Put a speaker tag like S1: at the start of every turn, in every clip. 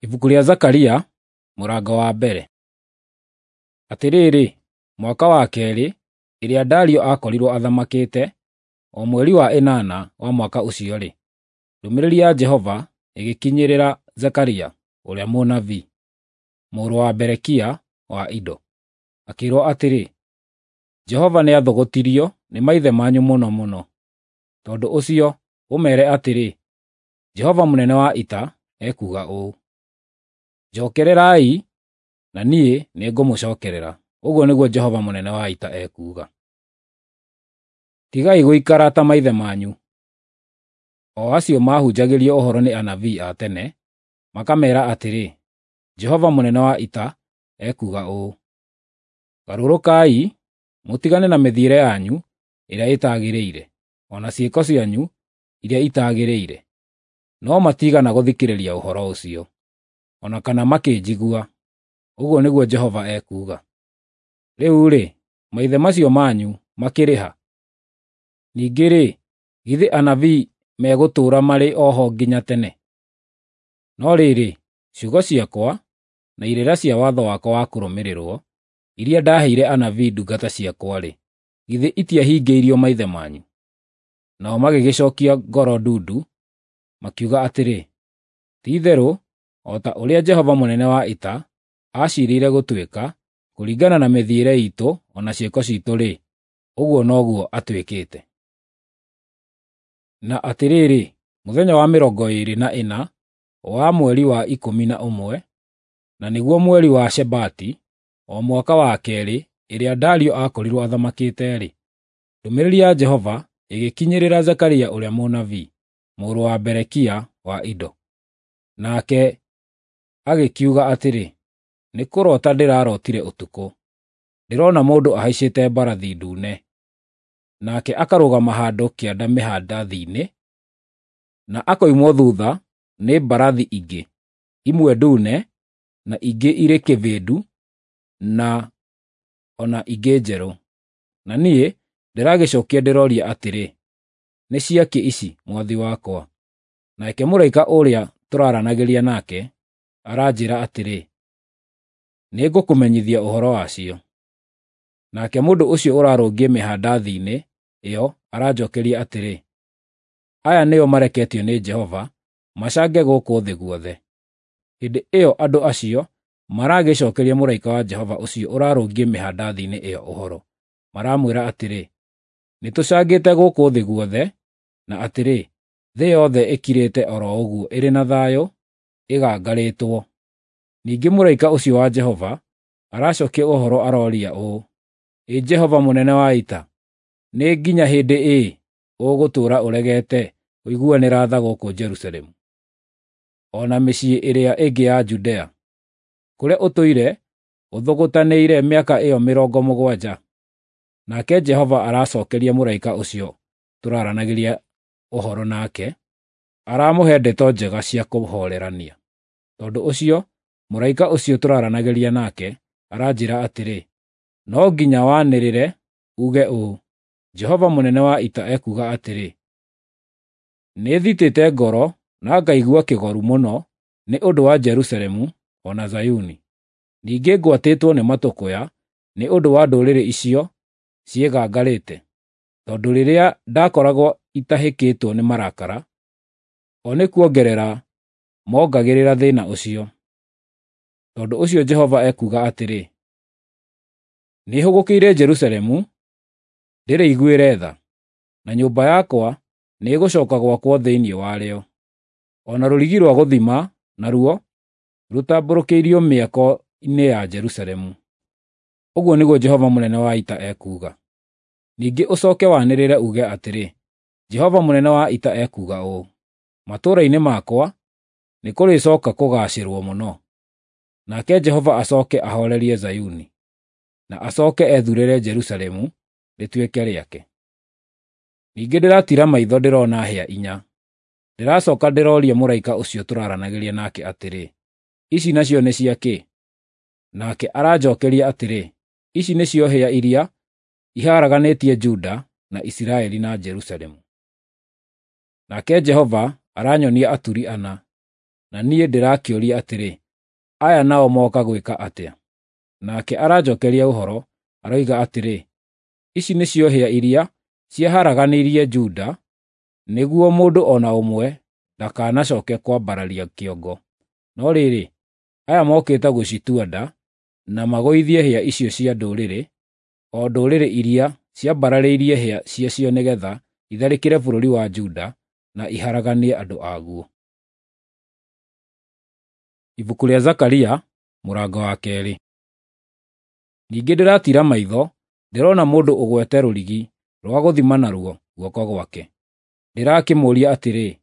S1: Ibuku rĩa Zakaria, mũrango wa mbere. Atĩrĩrĩ, mwaka wa keerĩ ĩrĩa Dario aakorirwo athamakĩte, o mweri wa ĩnana wa mwaka ũcio-rĩ, ndũmĩrĩri ya Jehova ĩgĩkinyĩrĩra Zekaria ũrĩa mũnabii, mũrũ wa Berekia wa Ido, akĩĩrwo atĩrĩ, Jehova nĩathũgũtirio nĩ maithe manyu mũno mũno. Tondũ ũcio ũmeere atĩrĩ, Jehova mũnene wa ita ekuuga ũũ: Njokererai, na niĩ nĩngũmũcookerera, ũguo nĩguo Jehova mũnene wa ita ekuuga. Tigai gũikara ta maithe manyu, o acio maahunjagĩrio ũhoro nĩ anabii a tene, makameera atĩrĩ, Jehova mũnene wa ita ekuuga ũũ: Garũrũkai, mũtigane na mĩthiĩre yanyu ĩrĩa ĩtagĩrĩire, o na ciĩko cianyu iria itaagĩrĩire. No matiigana gũthikĩrĩria ũhoro ũcio, o na kana makĩnjigua, ũguo nĩguo Jehova ekuuga. Rĩu-rĩ, maithe macio manyu makĩrĩ ha? Ningĩ-rĩ, githĩ anabii megũtũũra marĩ o ho nginya tene? No rĩrĩ, ciugo ciakwa na irĩra cia watho wakwa wa kũrũmĩrĩrwo, iria ndaaheire anabii ndungata ciakwa-rĩ, githĩ itiahingĩirio maithe manyu? Nao magĩgĩcookia ngoro ndundu, makiuga atĩrĩ, Ti-itherũ o ta ũrĩa Jehova mũnene wa ita aaciirĩire gũtwĩka, kũringana na mĩthiĩre iitũ o na ciĩko ciitũ-rĩ, ũguo noguo atwĩkĩte. Na atĩrĩrĩ, mũthenya wa 24 wa mweri wa 11, na nĩguo mweri wa Shebati, o mwaka wa keerĩ ĩrĩa Dario aakorirwo athamakĩte-rĩ, ndũmĩrĩri ya Jehova ĩgĩkinyĩrĩra Zekaria ũrĩa mũnabii, mũrũ wa Berekia wa Ido. Nake agĩkiuga atĩrĩ, Nĩ kũroota ndĩrarootire ũtukũ, ndĩrona mũndũ ahaicĩte mbarathi ndune, nake akarũgama handũ kĩanda mĩhandathi-inĩ, na akoimwo thuutha nĩ mbarathi ingĩ, imwe ndune, na ingĩ irĩ kĩbĩndu, na o na ingĩ njerũ. Na niĩ ndĩragĩcookia ndĩroria atĩrĩ, “Nĩ cia kĩ ici, mwathi wakwa?” Nake mũraika ũrĩa tũraaranagĩria nake aranjĩĩra atĩrĩ, “Nĩngũkũmenyithia ũhoro wacio.” Nake mũndũ ũcio ũrarũngiĩ mĩhandathi-inĩ ĩyo aranjookeria atĩrĩ, “Aya nĩo mareketio nĩ Jehova macange gũkũ thĩ guothe.” Hĩndĩ ĩyo andũ acio maragĩcookeria mũraika wa Jehova ũcio ũrarũngiĩ mĩhandathi-inĩ ĩyo ũhoro, maramwĩra atĩrĩ, “Nĩtũcangĩte gũkũ thĩ guothe, na atĩrĩ, thĩ yothe ĩkirĩte o ro ũguo ĩrĩ na thayũ, ĩgangarĩtwo.” Ningĩ mũraika ũcio wa Jehova aracookia ũhoro aroria ũũ, “Ĩ Jehova mũnene wa ita, nĩ nginya hĩndĩ ĩ ũgũtũũra ũregete kũiguanĩra tha gũkũ Jerusalemu, o na mĩciĩ ĩrĩa ĩngĩ ya Judea, kũrĩa ũtũire ũthũgũtanĩire mĩaka ĩyo 70?” Nake Jehova aracookeria mũraika ũcio tũraaranagĩria ũhoro nake, aramũhe ndeto njega cia kũhoorerania. Tondũ ũcio mũraika ũcio tũraaranagĩria nake aranjĩĩra atĩrĩ, “No nginya wanĩrĩre uuge ũũ: Jehova mũnene wa ita ekuuga atĩrĩ, Nĩthitĩte ngoro na ngaigua kĩgoru mũno nĩ ũndũ wa Jerusalemu o na Zayuni. Ningĩ ngwatĩtwo nĩ matũkũya nĩ ũndũ wa ndũrĩrĩ icio ciĩgangarĩte, tondũ rĩrĩa ndakoragwo itahĩkĩtwo nĩ marakara, o nĩ kuongerera moongagĩrĩra thĩĩna ũcio. Tondũ ũcio Jehova ekuuga atĩrĩ, Nĩhũgũkĩire Jerusalemu ndĩrĩiguĩre tha, na nyũmba yakwa nĩĩgũcooka gwakwo thĩinĩ warĩo, o na rũrigi rwa gũthima naruo rũtambũrũkĩirio mĩako-inĩ ya Jerusalemu. Ũguo nĩguo Jehova mũnene wa ita ekuuga. Ningĩ ũcooke wanĩrĩre uuge atĩrĩ, Jehova mũnene wa ita ekuuga ũũ: Matũũra-inĩ makwa nĩkũrĩcooka kũgaacĩrwo mũno, nake Jehova acooke ahoorerie Zayuni, na acooke ethuurĩre Jerusalemu rĩtuĩke rĩake. Ningĩ ndĩratiira maitho ndĩrona hĩa inya. Ndĩracooka ndĩroria mũraika ũcio tũraaranagĩria nake atĩrĩ, “Ici nacio nĩ cia kĩ?” Nake aranjookeria atĩrĩ, “Ici nĩcio hĩa iria iharaganĩtie Juda na Isiraeli na Jerusalemu.” Nake Jehova aranyonia aturi ana. Na niĩ ndĩrakĩũria atĩrĩ, “Aya nao moka gwĩka atĩa?” Nake aranjokeria ũhoro, aroiga atĩrĩ, “Ici nĩcio hĩa iria ciaharaganirie Juda, nĩguo mũndũ o na ũmwe ndakanacoke kwambararia kĩongo. No rĩrĩ, aya mokĩte gũcitua nda, na magũithie hĩa icio cia ndũrĩrĩ, o ndũrĩrĩ iria ciambararĩirie hĩa ciacio nĩ getha itharĩkĩre bũrũri wa Juda na iharaganie andũ aguo.” Ibuku rĩa Zakaria mũrango wa 2. Ningĩ ndĩratiira maitho ndĩrona mũndũ ũgwete rũrigi rwa gũthima naruo guoko gwake. Ndĩrakĩmũũria atĩrĩ,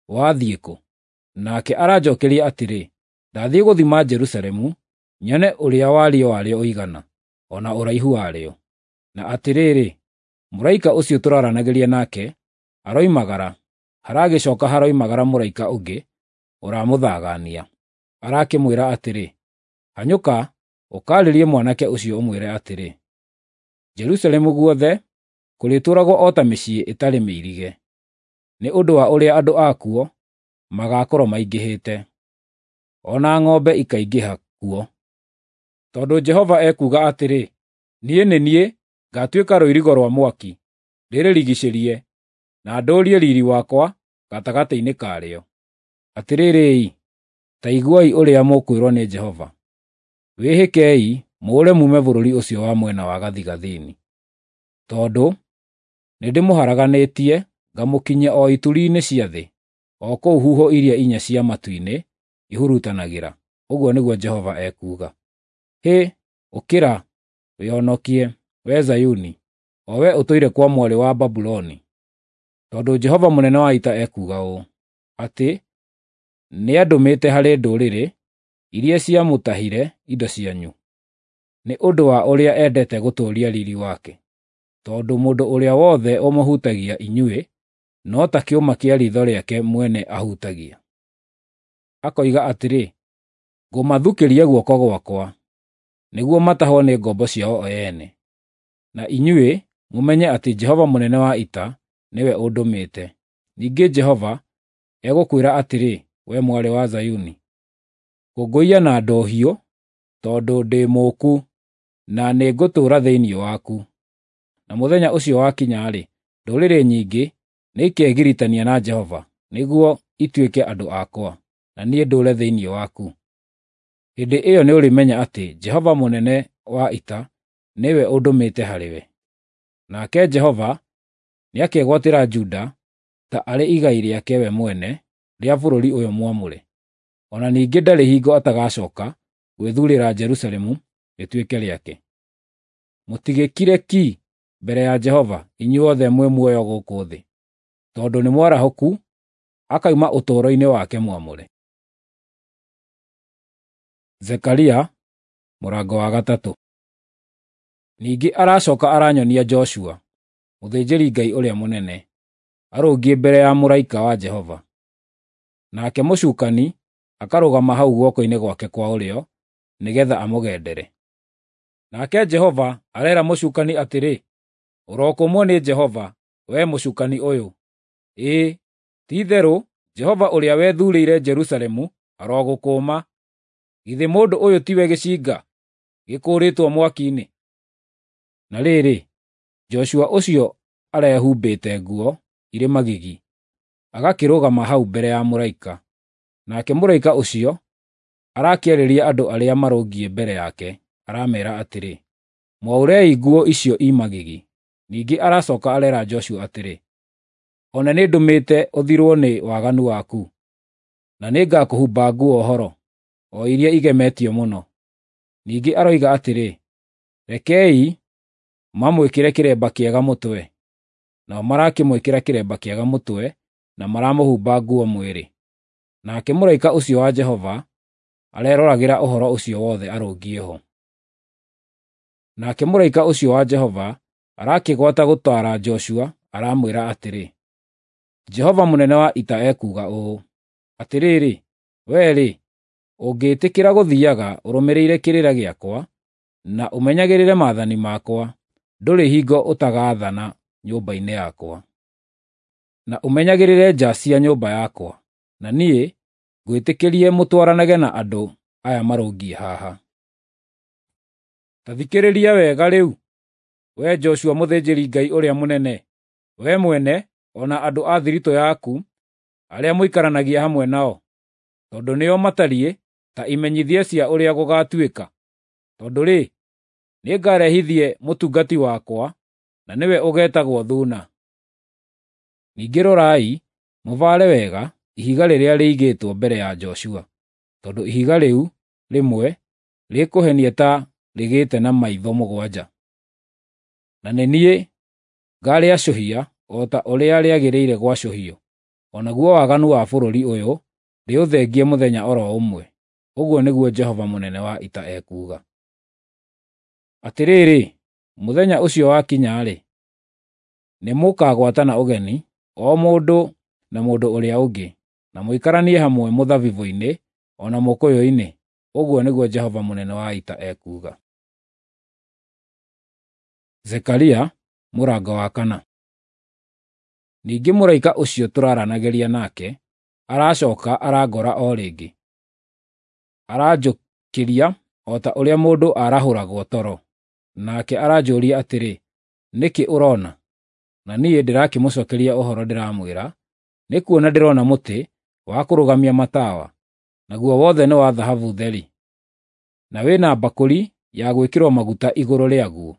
S1: “Wathiĩ kũ?” Nake aranjokeria atĩrĩ, “Ndathiĩ gũthima Jerusalemu, nyone ũrĩa wariĩ warĩo ũigana, o na ũraihu warĩo.” Na atĩrĩrĩ, mũraika ũcio tũraranagĩria nake aroimagara, haragĩcoka haroimagara mũraika ũngĩ ũramũthagania. Arakĩmwĩra atĩrĩ, “Hanyũka ũkaarĩrie mwanake ũcio ũmwĩre atĩrĩ, Jerusalemu guothe kũrĩtũũragwo o ta mĩciĩ ĩtarĩ mĩirige, nĩ ũndũ wa ũrĩa andũ akuo magaakorwo maingĩhĩte, o na ng'ombe ikaingĩha kuo. Tondũ Jehova ekuuga atĩrĩ, niĩ nĩ niĩ ngaatuĩka rũirigo rwa mwaki, ndĩrĩrigiicĩrie, na ndũũrie riiri wakwa gatagatĩ-inĩ karĩo. Atĩrĩrĩ-i, ta iguai ũrĩa mũkwĩrwo nĩ Jehova: Wĩhĩkei mũũre muume bũrũri ũcio wa mwena wa gathigathini, tondũ nĩndĩmũharaganĩtie ngamũkinyia o ituri-inĩ cia thĩ, o kũu huho iria inya cia matu-inĩ ihurutanagĩra, ũguo nĩguo Jehova ekuuga. Hĩ, ũkĩra, wĩhonokie, wee Zayuni, o wee ũtũire kwa mwarĩ wa Babuloni. Tondũ Jehova mũnene wa ita ekuuga ũũ, atĩ nĩandũmĩte harĩ ndũrĩrĩ iria ciamũtahire indo cianyu, nĩ ũndũ wa ũrĩa endete gũtũũria riiri wake. Tondũ mũndũ ũrĩa wothe ũmũhutagia inyuĩ no ta kĩũma kĩa riitho rĩake mwene ahutagia. Akoiga atĩrĩ, “Ngũmathukĩria guoko gwakwa, nĩguo matahwo nĩ ngombo ciao o ene.” Na inyuĩ mũmenye atĩ Jehova mũnene wa ita nĩwe ũndũmĩte. Ningĩ Jehova egũkwĩra atĩrĩ, we mwarĩ wa Zayuni, “Kũngũiya na ndũhiũ, tondũ ndĩ mũũku, na nĩngũtũũra thĩinĩ waku.” Na mũthenya ũcio wakinya-rĩ, ndũrĩrĩ nyingĩ nĩikegiritania na Jehova nĩguo ituĩke andũ akwa, na niĩ ndũũre thĩinĩ waku. Hĩndĩ ĩyo nĩũrĩmenya atĩ Jehova mũnene wa ita nĩwe ũndũmĩte harĩwe. Nake Jehova nĩakegwatĩra Juda ta arĩ igai rĩake we mwene rĩa bũrũri ũyũ mwamũre. O na ningĩ ndarĩ hingo atagacooka gwĩthuurĩra Jerusalemu rĩtuĩke rĩake. Mũtigĩkire ki mbere ya Jehova inyuothe mwĩ muoyo gũkũ thĩ, tondũ nĩ mwarahũku akauma ũtũũro-inĩ wake mwamũre. Zekaria mũrango wa 3. Ningĩ aracoka aranyonia Joshua, mũthĩnjĩri-Ngai ũrĩa mũnene, arũngiĩ mbere ya mũraika wa Jehova. Nake mũcukani akarũgama hau guoko-inĩ gwake kwa ũrĩo nĩgeetha amũgendere. Nake Jehova areera mũcukani atĩrĩ, “Ũrokũmwo nĩ Jehova, wee mũcukani ũyũ! Ĩĩ, ti-itherũ Jehova ũrĩa wethuurĩire Jerusalemu arogũkũũma. Githĩ mũndũ ũyũ tiwe gĩcinga gĩkũũrĩtwo mwaki-inĩ?” Na rĩrĩ, Joshua ũcio arehumbĩte nguo irĩ magigi, agakĩrũgama hau mbere ya mũraika. Nake mũraika ũcio arakĩarĩria andũ arĩa marũngiĩ mbere yake, arameera atĩrĩ, “Mwaũrei nguo icio i magigi.” Ningĩ aracoka areera Joshua atĩrĩ, “One nĩndũmĩte ũthirwo nĩ waganu waku, na nĩngakũhumba nguo horo, o iria igemetio mũno.” Ningĩ aroiga atĩrĩ, “Rekei mamwĩkĩre kĩremba kĩega mũtwe.” Nao marakĩmwĩkĩra kĩremba kĩega mũtwe na maramũhumba nguo mwĩrĩ. Nake mũraika ũcio wa Jehova areroragĩra ũhoro ũcio wothe arũngiĩ ho. Nake mũraika ũcio wa Jehova arakĩgwata gũtaara Joshua aramwĩra atĩrĩ, “Jehova mũnene wa ita ekuuga ũũ: Atĩrĩrĩ, wee-rĩ, ũngĩĩtĩkĩra gũthiiaga ũrũmĩrĩire kĩrĩra gĩakwa na ũmenyagĩrĩre maathani makwa, ndũrĩ hingo ũtagaathana nyũmba-inĩ yakwa, na ũmenyagĩrĩre nja cia nyũmba yakwa, na niĩ ngwĩtĩkĩrie mũtwaranage na andũ aya marũngiĩ haha. Ta thikĩrĩria wega rĩu, wee Joshua mũthĩnjĩri-Ngai ũrĩa mũnene, wee mwene o na andũ a thiritũ yaku arĩa mũikaranagia hamwe nao, tondũ nĩo matariĩ ta imenyithia cia ũrĩa gũgaatuĩka. Tondũ-rĩ, nĩngarehithie mũtungati wakwa, na nĩwe ũgeetagwo Thuuna. Ningĩ rorai, mũbaare wega ihiga rĩrĩa rĩigĩtwo mbere ya Joshua, tondũ ihiga rĩu rĩmwe rĩkũhenia ta rĩgĩte na maitho 7. Na nĩ niĩ ngaarĩacũhia o ta ũrĩa rĩagĩrĩire gwacũhio, o naguo waganu wa bũrũri ũyũ ndĩũthengie mũthenya o ro ũmwe, ũguo nĩguo Jehova mũnene wa ita ekuuga. Atĩrĩrĩ, mũthenya ũcio wakinya-rĩ, nĩmũkagwatana ũgeni, o mũndũ na mũndũ ũrĩa ũngĩ, na mũikaranie hamwe mũthabibũ-inĩ o na mũkũyũ-inĩ, ũguo nĩguo Jehova mũnene wa ita ekuuga. Zekaria mũrango wa 4. Ningĩ mũraika ũcio tũraranagĩria nake aracoka arangora o rĩngĩ, aranjũkĩria o ta ũrĩa mũndũ arahũragwo toro, nake aranjũria atĩrĩ, “Nĩ kĩ ũroona?” Na niĩ ndĩrakĩmũcookeria ũhoro ndĩramwĩra, “Nĩ kuona ndĩrona mũtĩ wa kũrũgamia matawa, naguo wothe nĩ wa thahabu theri, na wĩ na mbakũri ya gwĩkĩrwo maguta igũrũ rĩaguo,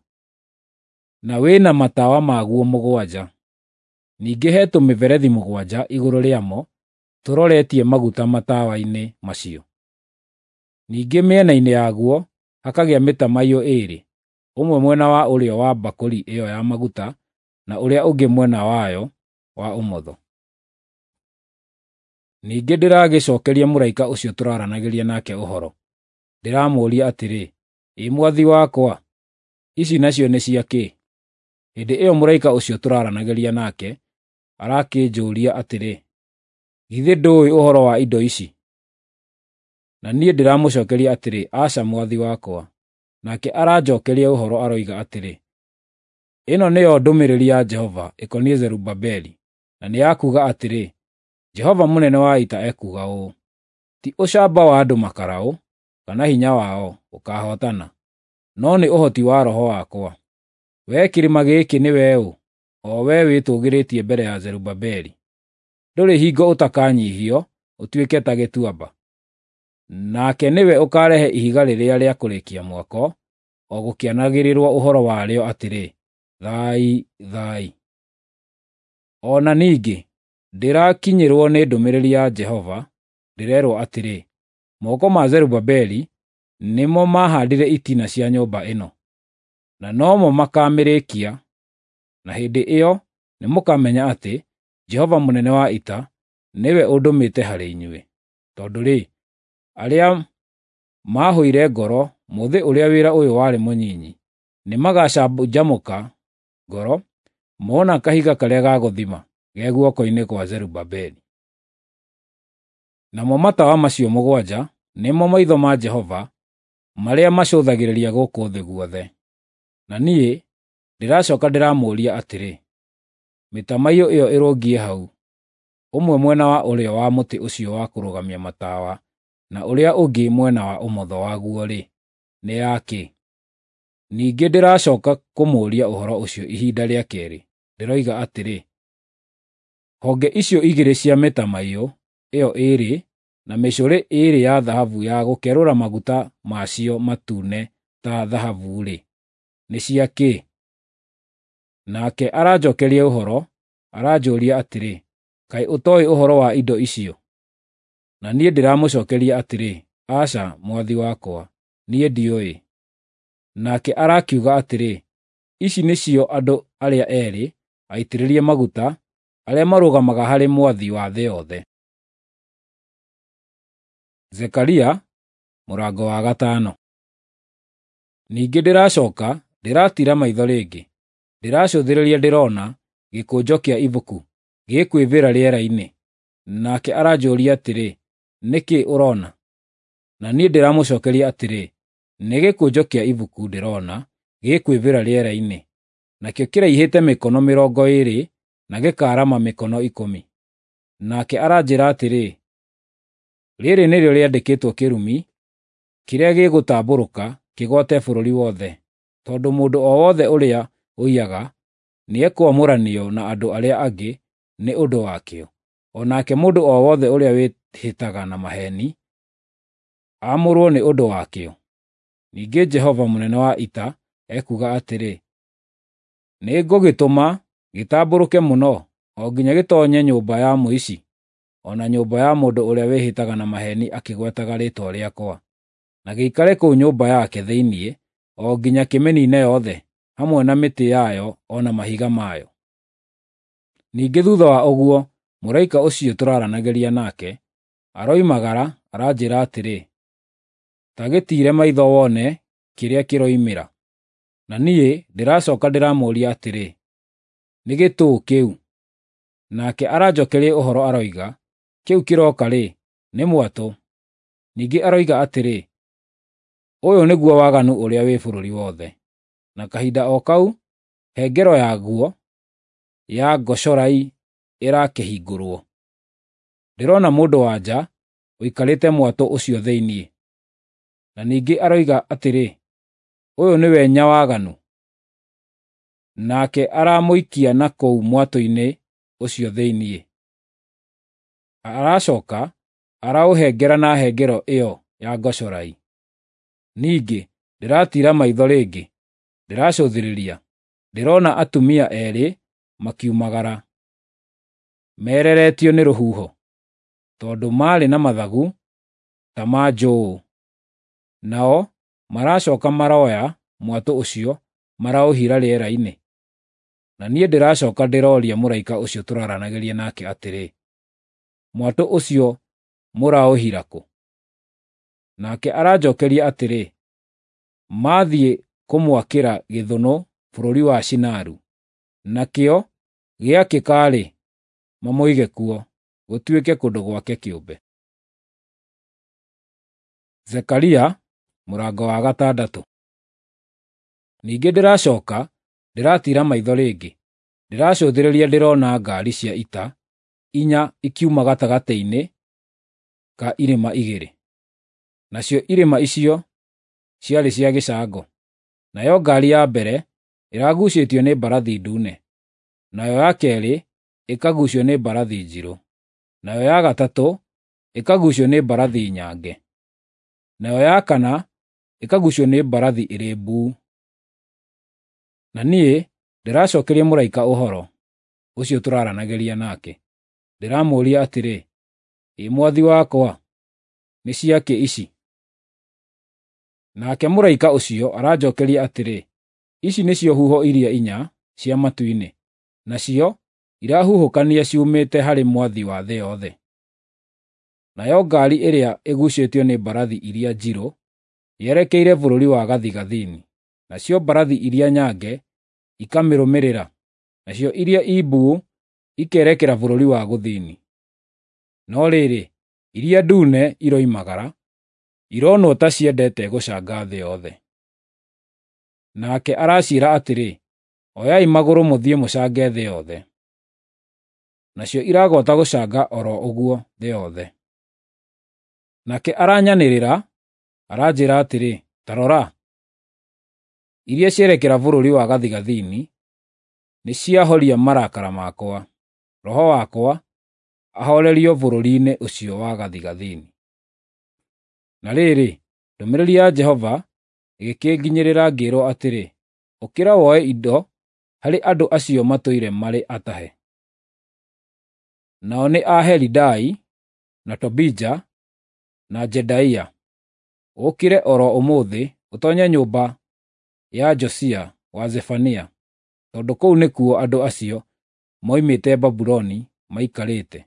S1: na wĩ na matawa maguo 7. Ningĩ he tũmĩberethi 7 igũrũ rĩamo tũroretie maguta matawa-inĩ macio. Ningĩ mĩena-inĩ yaguo hakagĩa mĩtamaiyũ 2, ũmwe mwena wa ũrĩo wa mbakũri ĩyo ya maguta na ũrĩa ũngĩ mwena wayo wa ũmotho.” Ningĩ ndĩragĩcookeria mũraika ũcio tũraranagĩria nake ũhoro, ndĩramũũria atĩrĩ, “Ĩ mwathi wakwa, ici nacio nĩ cia kĩ?” Hĩndĩ ĩyo mũraika ũcio tũraranagĩria nake arakĩnjũũria atĩrĩ, “Githĩ ndũũĩ ũhoro wa indo ici?” Na niĩ ndĩramũcookeria atĩrĩ, “Aca, mwathi wakwa.” Nake aranjookeria ũhoro aroiga atĩrĩ, “Ĩno nĩyo ndũmĩrĩri ya Jehova ĩkoniĩ Zerubabeli, na nĩ ya kuuga atĩrĩ, Jehova mũnene wa ita ekuuga ũũ: Ti ũcamba wa andũ makaraũ, kana hinya wao ũkaahootana, no nĩ ũhoti wa Roho wakwa. Wee kĩrĩma gĩkĩ nĩwe ũ, o wee wĩtũũgĩrĩtie mbere ya Zerubabeli? Ndũrĩ hingo ũtakanyiihio ũtuĩke ta gĩtuamba. Nake nĩwe ũkaarehe ihiga rĩrĩa rĩa kũrĩkia mwako, o gũkĩanagĩrĩrwo ũhoro warĩo atĩrĩ, Thai, thai. O na ningĩ ndĩrakinyĩrwo nĩ ndũmĩrĩri ya Jehova, ndĩrerwo atĩrĩ, Moko ma Zerubabeli nĩmo maahaandire itina cia nyũmba ĩno, na nomo makaamĩrĩkia, na hĩndĩ ĩyo nĩmũkamenya atĩ Jehova mũnene wa ita nĩwe ũndũmĩte harĩ inyuĩ. Tondũ-rĩ, arĩa maahũire ngoro mũthĩ ũrĩa wĩra ũyũ warĩ mũnyinyi, nĩmagacanjamũka ngoro mona kahiga karĩa ga gũthima ge guoko-inĩ kwa Zerubabeli. Namo matawa macio 7 nĩmo maitho ma Jehova marĩa macũthagĩrĩria gũkũ thĩ guothe. Na niĩ ndĩracooka ndĩramũũria atĩrĩ, mĩtamaiyũ ĩyo ĩrũngiĩ hau, ũmwe mwena wa ũrĩo wa mũtĩ ũcio wa kũrũgamia matawa na ũrĩa ũngĩ mwena wa ũmotho waguo-rĩ, nĩ ya kĩ?” Ningĩ ndĩracooka kũmũũria ũhoro ũcio ihinda rĩa keerĩ, ndĩroiga atĩrĩ, honge icio igĩrĩ cia mĩtamaiyũ ĩyo 2 na mĩcũrĩ 2 ya thahabu ya gũkerũra maguta macio matune ta thahabu-rĩ, nĩ cia kĩ? Nake aranjookeria ũhoro, aranjũũria atĩrĩ, “Kaĩ ũtooĩ ũhoro wa indo icio?” Na niĩ ndĩramũcookeria atĩrĩ, “Aca, mwathi wakwa, niĩ ndiũĩ.” Nake arakiuga atĩrĩ, “Ici nĩcio andũ arĩa eerĩ aitĩrĩrie maguta arĩa marũgamaga harĩ Mwathi wa thĩ yothe.” Zekaria mũrango wa 5. Ningĩ ndĩracooka ndĩratiira maitho rĩngĩ, ndĩracũthĩrĩria ndĩrona gĩkũnjo kĩa ibuku gĩkwĩĩbĩra rĩera-inĩ. Nake aranjũũria atĩrĩ, “Nĩ kĩĩ ũroona?” Na niĩ ndĩramũcookeria atĩrĩ, “Nĩ gĩkũnjo kĩa ibuku ndĩrona gĩkwĩĩbĩra rĩera-inĩ, nakĩo kĩraihĩte mĩkono 20 na gĩkaarama mĩkono 10.” Nake aranjĩĩra atĩrĩ, Rĩrĩ nĩrĩo rĩandĩkĩtwo kĩrumi kĩrĩa gĩgũtambũrũka kĩgwate bũrũri wothe, tondũ mũndũ o wothe ũrĩa ũiyaga nĩekwamũranio na andũ arĩa angĩ nĩ ũndũ wakĩo, o nake mũndũ o wothe ũrĩa wĩhĩtaga na maheeni aamũrwo nĩ ũndũ wakĩo. Ningĩ Jehova mũnene wa ita ekuuga atĩrĩ, nĩngũgĩtũma gĩtambũrũke mũno, o nginya gĩtoonye nyũmba ya mũici, o na nyũmba ya mũndũ ũrĩa wĩhĩtaga na maheeni akĩgwetaga rĩĩtwa rĩakwa, na gĩikare kũu nyũmba yake thĩinĩ o nginya kĩmĩniine yothe, hamwe na mĩtĩ yayo o na mahiga mayo. Ningĩ thutha wa ũguo, mũraika ũcio tũraaranagĩria nake aroimagara aranjĩra atĩrĩ, “Ta gĩtiire maitho wone kĩrĩa kĩroimĩra.” Na niĩ ndĩracoka ndĩramũũria atĩrĩ, “Nĩ gĩtũũ kĩu?” Nake aranjokeria ũhoro aroiga, “Kĩu kĩroka-rĩ, nĩ mwatũ.” Ningĩ aroiga atĩrĩ, “Ũyũ nĩguo waganu ũrĩa wĩ bũrũri wothe.” Na kahinda o kau hengero yaguo ya ngocorai ĩrakĩhingũrwo. Ndĩrona mũndũ-wa-nja ũikarĩte mwatũ ũcio thĩinĩ. Na ningĩ aroiga atĩrĩ, “Ũyũ nĩwe Nyawaganu.” Nake aramũikia na kũu mwatũ-inĩ ũcio thĩinĩ. Aracoka araũhengera na hengero ĩyo ya ngocorai. Ningĩ ndĩratiira maitho rĩngĩ, ndĩracũthĩrĩria, ndĩrona atumia eerĩ makiumagara, mereretio nĩ rũhuho, tondũ maarĩ na mathagu ta ma njũũ. Nao maracoka maroya mwatũ ũcio maraũhira rĩera-inĩ. Na niĩ ndĩracoka ndĩroria mũraika ũcio tũraaranagĩria nake atĩrĩ, “Mwatũ ũcio mũraũhira kũ?” Nake aranjokeria atĩrĩ, “Mathiĩ kũmwakĩra gĩthũnũ bũrũri wa Shinaru, nakĩo gĩakĩka-rĩ, mamũige kuo, gũtuĩke kũndũ gwake kĩũmbe.” Zekaria mũrango wa gatandatũ. Ningĩ ndĩracoka ndĩratiira maitho rĩngĩ, ndĩracũthĩrĩria ndĩrona ngaari cia ita inya ikiuma gatagatĩ-inĩ ka irĩma igĩrĩ. Nacio irĩma icio ciarĩ cia gĩcango. Nayo ngaari ya mbere ĩragucĩtio nĩ mbarathi ndune, nayo ya keerĩ ĩkaguucio nĩ mbarathi njirũ, nayo ya gatatũ ĩkaguucio nĩ mbarathi nyange, nayo ya kana ĩkaguucio nĩ mbarathi ĩrĩ mbuu. Na niĩ ndĩracokeria mũraika ũhoro ũcio tũraaranagĩria nake, ndĩramũũria atĩrĩ, “Ĩ mwathi wakwa, nĩ cia kĩ ici?” Nake mũraika ũcio aranjokeria atĩrĩ, “Ici nĩcio huho iria inya cia matu-inĩ, nacio irahuhũkania ciumĩte harĩ Mwathi wa thĩ yothe. Nayo ngaari ĩrĩa ĩguucĩtio nĩ mbarathi iria njirũ yerekeire bũrũri wa gathigathini, nacio mbarathi iria nyange ikamĩrũmĩrĩra, nacio iria i mbuu ikerekera bũrũri wa gũthini. No rĩrĩ, iria ndune iroimagara, ironwo ta ciendete gũcanga thĩ yothe. Nake araciĩra atĩrĩ, “Oyai magũrũ mũthiĩ mũcange thĩ yothe.” Nacio iragwata gũcanga o ro ũguo thĩ yothe. Nake aranyanĩrĩra, aranjĩra atĩrĩ, “Ta rora, iria cierekera bũrũri wa gathigathini nĩciahoria marakara makwa, roho wakwa ahoorerio bũrũri-inĩ ũcio wa gathigathini.” Na rĩrĩ, ndũmĩrĩri ya Jehova ĩgĩkĩnginyĩrĩra ngĩĩrwo atĩrĩ, “Ũkĩra woe indo harĩ andũ acio matũire marĩ atahe.” Nao nĩ a Helidai, na Tobija, na Jedaia. Ũũkĩre o ro ũmũthĩ ũtoonye nyũmba ya Josia wa Zefania, tondũ kũu nĩkuo andũ acio moimĩte Babuloni maikarĩte.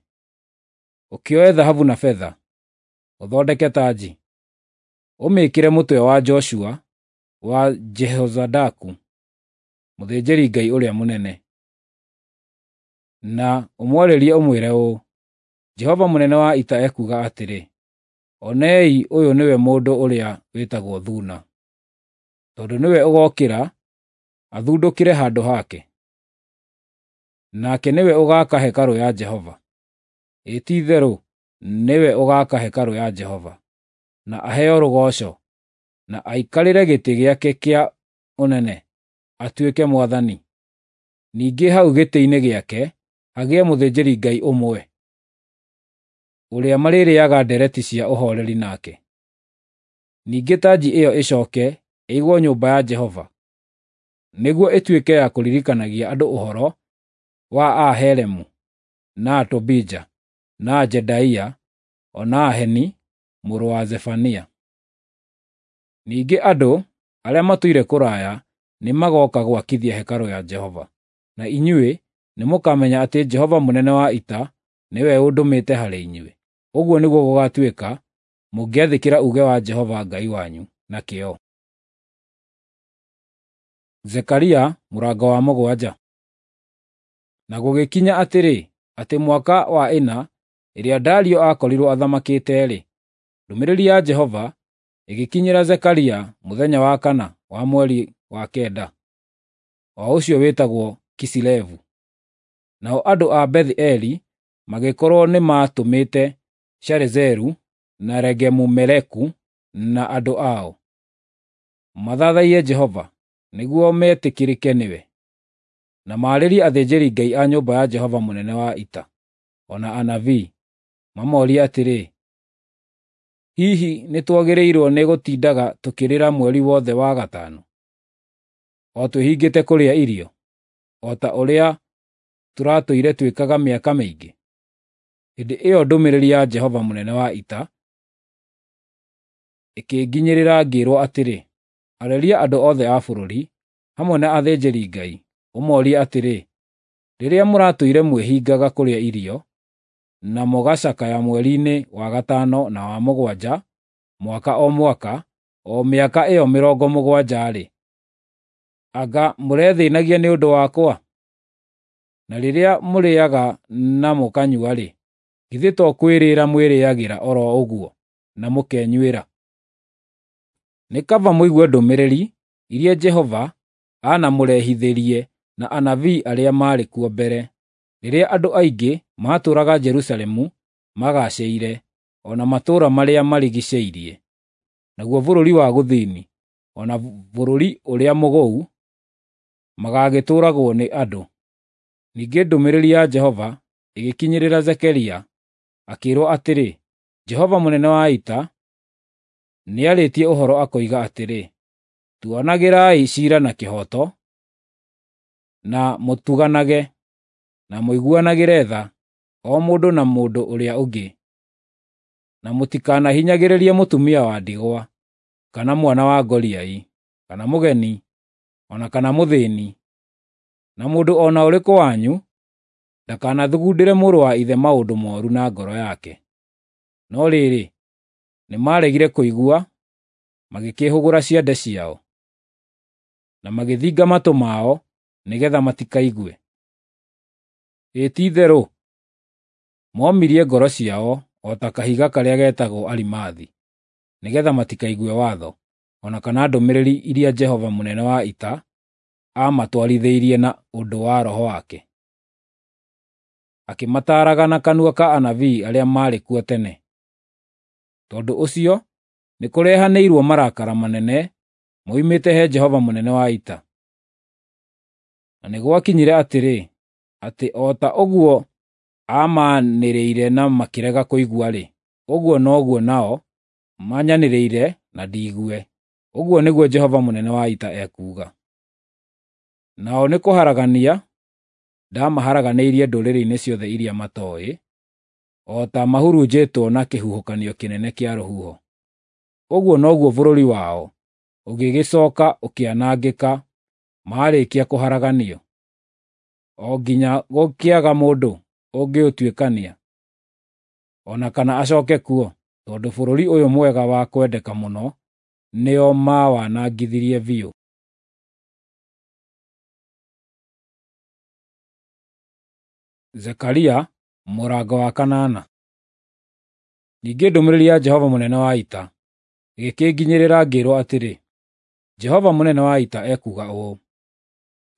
S1: Ũkĩoe thahabu na betha, ũthondeke tanji, ũmĩĩkĩre mũtwe wa Joshua wa Jehozadaku, mũthĩnjĩri-Ngai ũrĩa mũnene. Na ũmwarĩrie ũmwĩre ũũ, ‘Jehova mũnene wa ita ekuuga atĩrĩ, Onei ũyũ nĩwe mũndũ ũrĩa wĩtagwo Thuuna, tondũ nĩwe ũgookĩra athundũkĩre handũ hake. Nake nĩwe ũgaaka hekarũ ya Jehova. Ĩ ti-itherũ nĩwe ũgaaka hekarũ ya Jehova, na aheo rũgooco, na aikarĩre gĩtĩ gĩake kĩa ũnene, atuĩke mwathani. Ningĩ hau gĩtĩ-inĩ gĩake hagĩe mũthĩnjĩri-Ngai ũmwe, ũrĩa marĩrĩĩaga ndereti cia ũhooreri nake. Ningĩ tanji ĩyo ĩcooke ĩigwo nyũmba ya Jehova, nĩguo ĩtuĩke ya kũririkanagia andũ ũhoro wa a Helemu, na Tobija, na Jedaia, o na Heni mũrũ wa Zefania. Ningĩ andũ arĩa matũire kũraya nĩmagooka gwakithia hekarũ ya Jehova, na inyuĩ nĩmũkamenya atĩ Jehova mũnene wa ita nĩwe ũndũmĩte harĩ inyuĩ. Ũguo nĩguo gũgaatuĩka mũngĩathĩkĩra uuge wa Jehova Ngai wanyu na kĩyo. Zekaria mũrango wa 7. Na gũgĩkinya atĩrĩ, atĩ mwaka wa 4 ĩrĩa Dario aakorirwo athamakĩte-rĩ, ndũmĩrĩri ya Jehova ĩgĩkinyĩra Zekaria mũthenya wa 4 wa mweri wa 9, o ũcio wĩtagwo Kisilevu. Nao andũ a Beth-eli magĩkorwo nĩmatũmĩte Sharezeru na Regemu-Meleku na andũ ao, mathathaiye Jehova, nĩguo metĩkĩrĩke nĩwe, na maarĩrie athĩnjĩri-Ngai a nyũmba ya Jehova mũnene wa ita, o na anabii, mamoorie atĩrĩ, “Hihi nĩtwagĩrĩirwo nĩ gũtindaga tũkĩrĩra mweri wothe wa 5, o twĩhingĩte kũrĩa irio, o ta ũrĩa tũratũire twĩkaga mĩaka mĩingĩ?” Hĩndĩ ĩyo ndũmĩrĩri ya Jehova mũnene wa ita ĩkĩnginyĩrĩra ngĩĩrwo atĩrĩ, “Arĩria andũ othe a bũrũri, hamwe na athĩnjĩri-Ngai, ũmoorie atĩrĩ, ‘Rĩrĩa mũratũire mwĩhingaga kũrĩa irio, na mũgacakaya mweri-inĩ wa 5 na wa 7 mwaka o mwaka, o mĩaka ĩyo 70-rĩ, anga mũrethĩĩnagia nĩ ũndũ wakwa? Na rĩrĩa mũrĩĩaga na mũkanyua-rĩ, githĩ to kwĩrĩĩra mwĩrĩĩagĩra o ro ũguo na mũkenyuĩra? Nĩ kaba mũigue ndũmĩrĩri iria Jehova aanamũrehithĩrie na anabii arĩa maarĩ kuo mbere, rĩrĩa andũ aingĩ maatũũraga Jerusalemu magaacĩire, o na matũũra marĩa marigiicĩirie, naguo bũrũri wa gũthini, o na bũrũri ũrĩa mũgũu, magagĩtũũragwo nĩ andũ.” Ningĩ ndũmĩrĩri ya Jehova ĩgĩkinyĩrĩra Zekaria, akĩĩrwo atĩrĩ, “Jehova mũnene wa ita nĩarĩtie ũhoro akoiga atĩrĩ, ‘Tuanagĩrai ciira na kĩhooto, na mũtuganage, na mũiguanagĩre tha, o mũndũ na mũndũ ũrĩa ũngĩ, na mũtikanahinyagĩrĩrie mũtumia wa ndigwa, kana mwana wa ngoriai, kana mũgeni, o na kana mũthĩĩni, na mũndũ o na ũrĩkũ wanyu ndakanathugundĩre mũrũ wa ithe maũndũ mooru na ngoro yake.’ No rĩrĩ, nĩmaregire kũigua, magĩkĩĩhũgũra ciande ciao, na magĩthinga matũ mao nĩgeetha matikaigue. Ĩ ti-itherũ, moomirie ngoro ciao o ta kahiga karĩa getagwo arimathi, nĩgeetha matikaigue watho, o na kana ndũmĩrĩri iria Jehova mũnene wa ita aamatwarithĩirie na ũndũ wa Roho wake, akĩmataaraga na kanua ka anabii arĩa maarĩ kuo tene. Tondũ ũcio nĩkũrehanĩirwo marakara manene moimĩte he Jehova mũnene wa ita. Na nĩ gwakinyire atĩrĩ, atĩ o ta ũguo aamanĩrĩire na makĩrega kũigua-rĩ, ũguo noguo nao manyanĩrĩire na ndiigue, ũguo nĩguo Jehova mũnene wa ita ekuuga. Nao nĩkũharagania ndamaharaganĩirie ndũrĩrĩ-inĩ ciothe iria matooĩ, o ta mahurunjĩtwo na kĩhuhũkanio kĩnene kĩa rũhuho. Ũguo noguo bũrũri wao ũgĩgĩcooka ũkĩanangĩka maarĩkia kũharaganio, o nginya gũkĩaga mũndũ ũngĩũtuĩkania, o na kana acooke kuo, tondũ bũrũri ũyũ mwega wa kwendeka mũno nĩo maawanangithirie biũ. Zekaria mũrango wa 8. Ningĩ ndũmĩrĩri ya Jehova mũnene wa ita ĩgĩkĩnginyĩrĩra ngĩĩrwo atĩrĩ, Jehova mũnene wa ita ekuuga ũũ: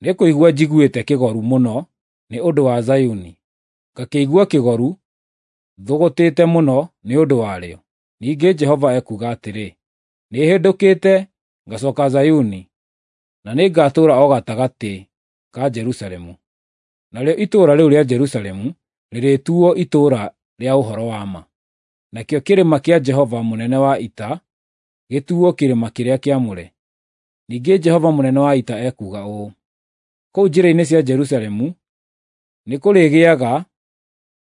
S1: Nĩ kũigua njiguĩte kĩgoru mũno nĩ ũndũ wa Zayuni, ngakĩigua kĩgoru thũgũtĩte mũno nĩ ũndũ warĩo. Ningĩ Jehova ekuuga atĩrĩ, nĩhĩndũkĩte ngacoka Zayuni, na nĩngatũũra o gatagatĩ ka Jerusalemu. Narĩo itũũra rĩu rĩa Jerusalemu rĩrĩtuo itũũra rĩa ũhoro wa ma, nakĩo kĩrĩma kĩa Jehova mũnene wa ita gĩtuo kĩrĩma kĩrĩa kĩamũre. Ningĩ Jehova mũnene wa ita ekuuga ũũ, kũu njĩra-inĩ cia Jerusalemu nĩkũrĩgĩaga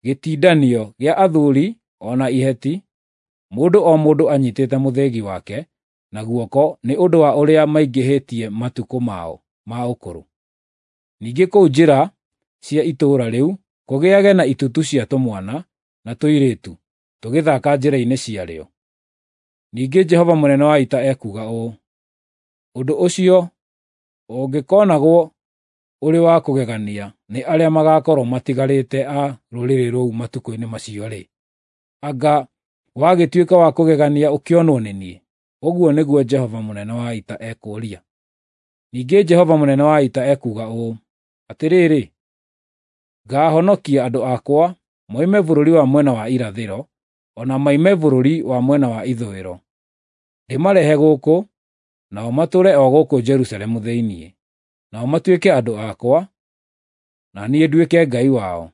S1: gĩtindanio gĩa athuuri o na iheti, mũndũ o mũndũ anyiitĩte mũthĩgi wake na guoko nĩ ũndũ wa ũrĩa maingĩhĩtie matukũ mao ma ũkũrũ. Ningĩ kũu njĩra cia itũũra rĩu kũgĩage na itutu cia tũmwana na tũirĩtu tũgĩthaaka njĩra-inĩ ciarĩo. Ningĩ Jehova mũnene wa ita ekuuga ũũ, ũndũ ũcio ũngĩkonagwo ũrĩ wa kũgegania nĩ arĩa magaakorwo matigarĩte a rũrĩrĩ rũu matukũ-inĩ macio-rĩ, anga wagĩtuĩka wa kũgegania ũkĩonwo nĩ niĩ? Ũguo nĩguo Jehova mũnene wa ita ekũũria. Ningĩ Jehova mũnene wa ita ekuuga ũũ, atĩrĩrĩ, ngaahonokia andũ akwa moime bũrũri wa mwena wa irathĩro, o na moime bũrũri wa mwena wa ithũĩro, ndĩmarehe gũkũ, nao matũũre o gũkũ Jerusalemu thĩinĩ. Nao matuĩke andũ akwa, na niĩ nduĩke Ngai wao.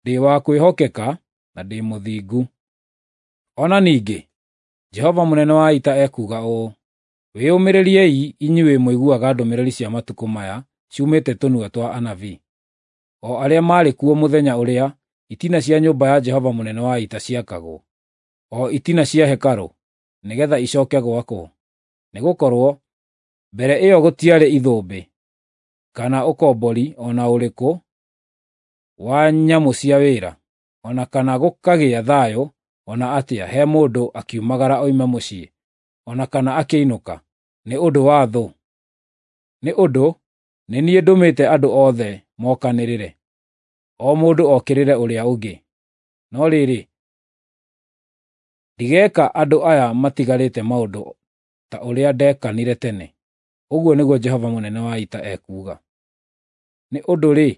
S1: Ndĩ wa kwĩhokeka na ndĩ mũthingu. O na ningĩ Jehova mũnene wa ita ekuuga ũũ, wĩyũmĩrĩriei inyuĩ mũiguaga ndũmĩrĩri cia matukũ maya ciumĩte tũnua twa anabii, o arĩa maarĩ kuo mũthenya ũrĩa itina cia nyũmba ya Jehova mũnene wa ita ciakagwo, o itina cia hekarũ, nĩgeetha icooke gwakwo. Nĩgũkorwo mbere ĩyo gũtiarĩ ithũmbĩ, kana ũkombori o na ũrĩkũ wa nyamũ cia wĩra, o na kana gũkagĩa thayũ o na atĩa he mũndũ akiumagara oime mũciĩ, o na kana akĩinũka, nĩ ũndũ wa thũ. Nĩ ũndũ nĩ niĩ ndũmĩte andũ othe mokanĩrĩre, o mũndũ okĩrĩre ũrĩa ũngĩ. No rĩrĩ, ndigeeka andũ aya matigarĩte maũndũ ta ũrĩa ndekanire tene, ũguo nĩguo Jehova mũnene wa ita ekuuga. Nĩ ũndũ-rĩ,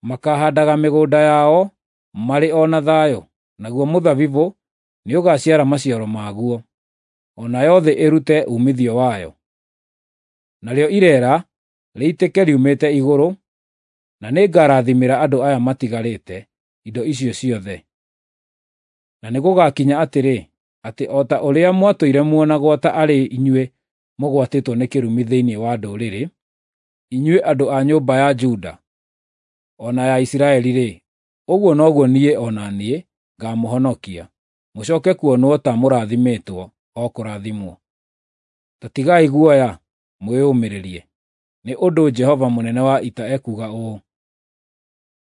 S1: makaahandaga mĩgũnda yao marĩ o na thayũ, naguo mũthabibũ nĩũgaciara maciaro maguo, o nayo thĩ ĩrute uumithio wayo. Narĩo ireera rĩitĩke riumĩte igũrũ, na nĩngarathimĩra andũ aya matigarĩte indo icio ciothe. Na nĩgũgakinya atĩrĩ, atĩ o ta ũrĩa mwatũire muonagwo ta arĩ inyuĩ mũgwatĩtwo nĩ kĩrumi thĩinĩ wa ndũrĩrĩ, inyuĩ andũ a nyũmba ya Juda o na ya Isiraeli-rĩ, ũguo noguo niĩ o na niĩ ngaamũhonokia, mũcooke kuonwo ta mũrathimĩtwo o kũrathimwo. Ta tigai guoya, mwĩyũmĩrĩrie, nĩ ũndũ Jehova mũnene wa ita ekuuga ũũ,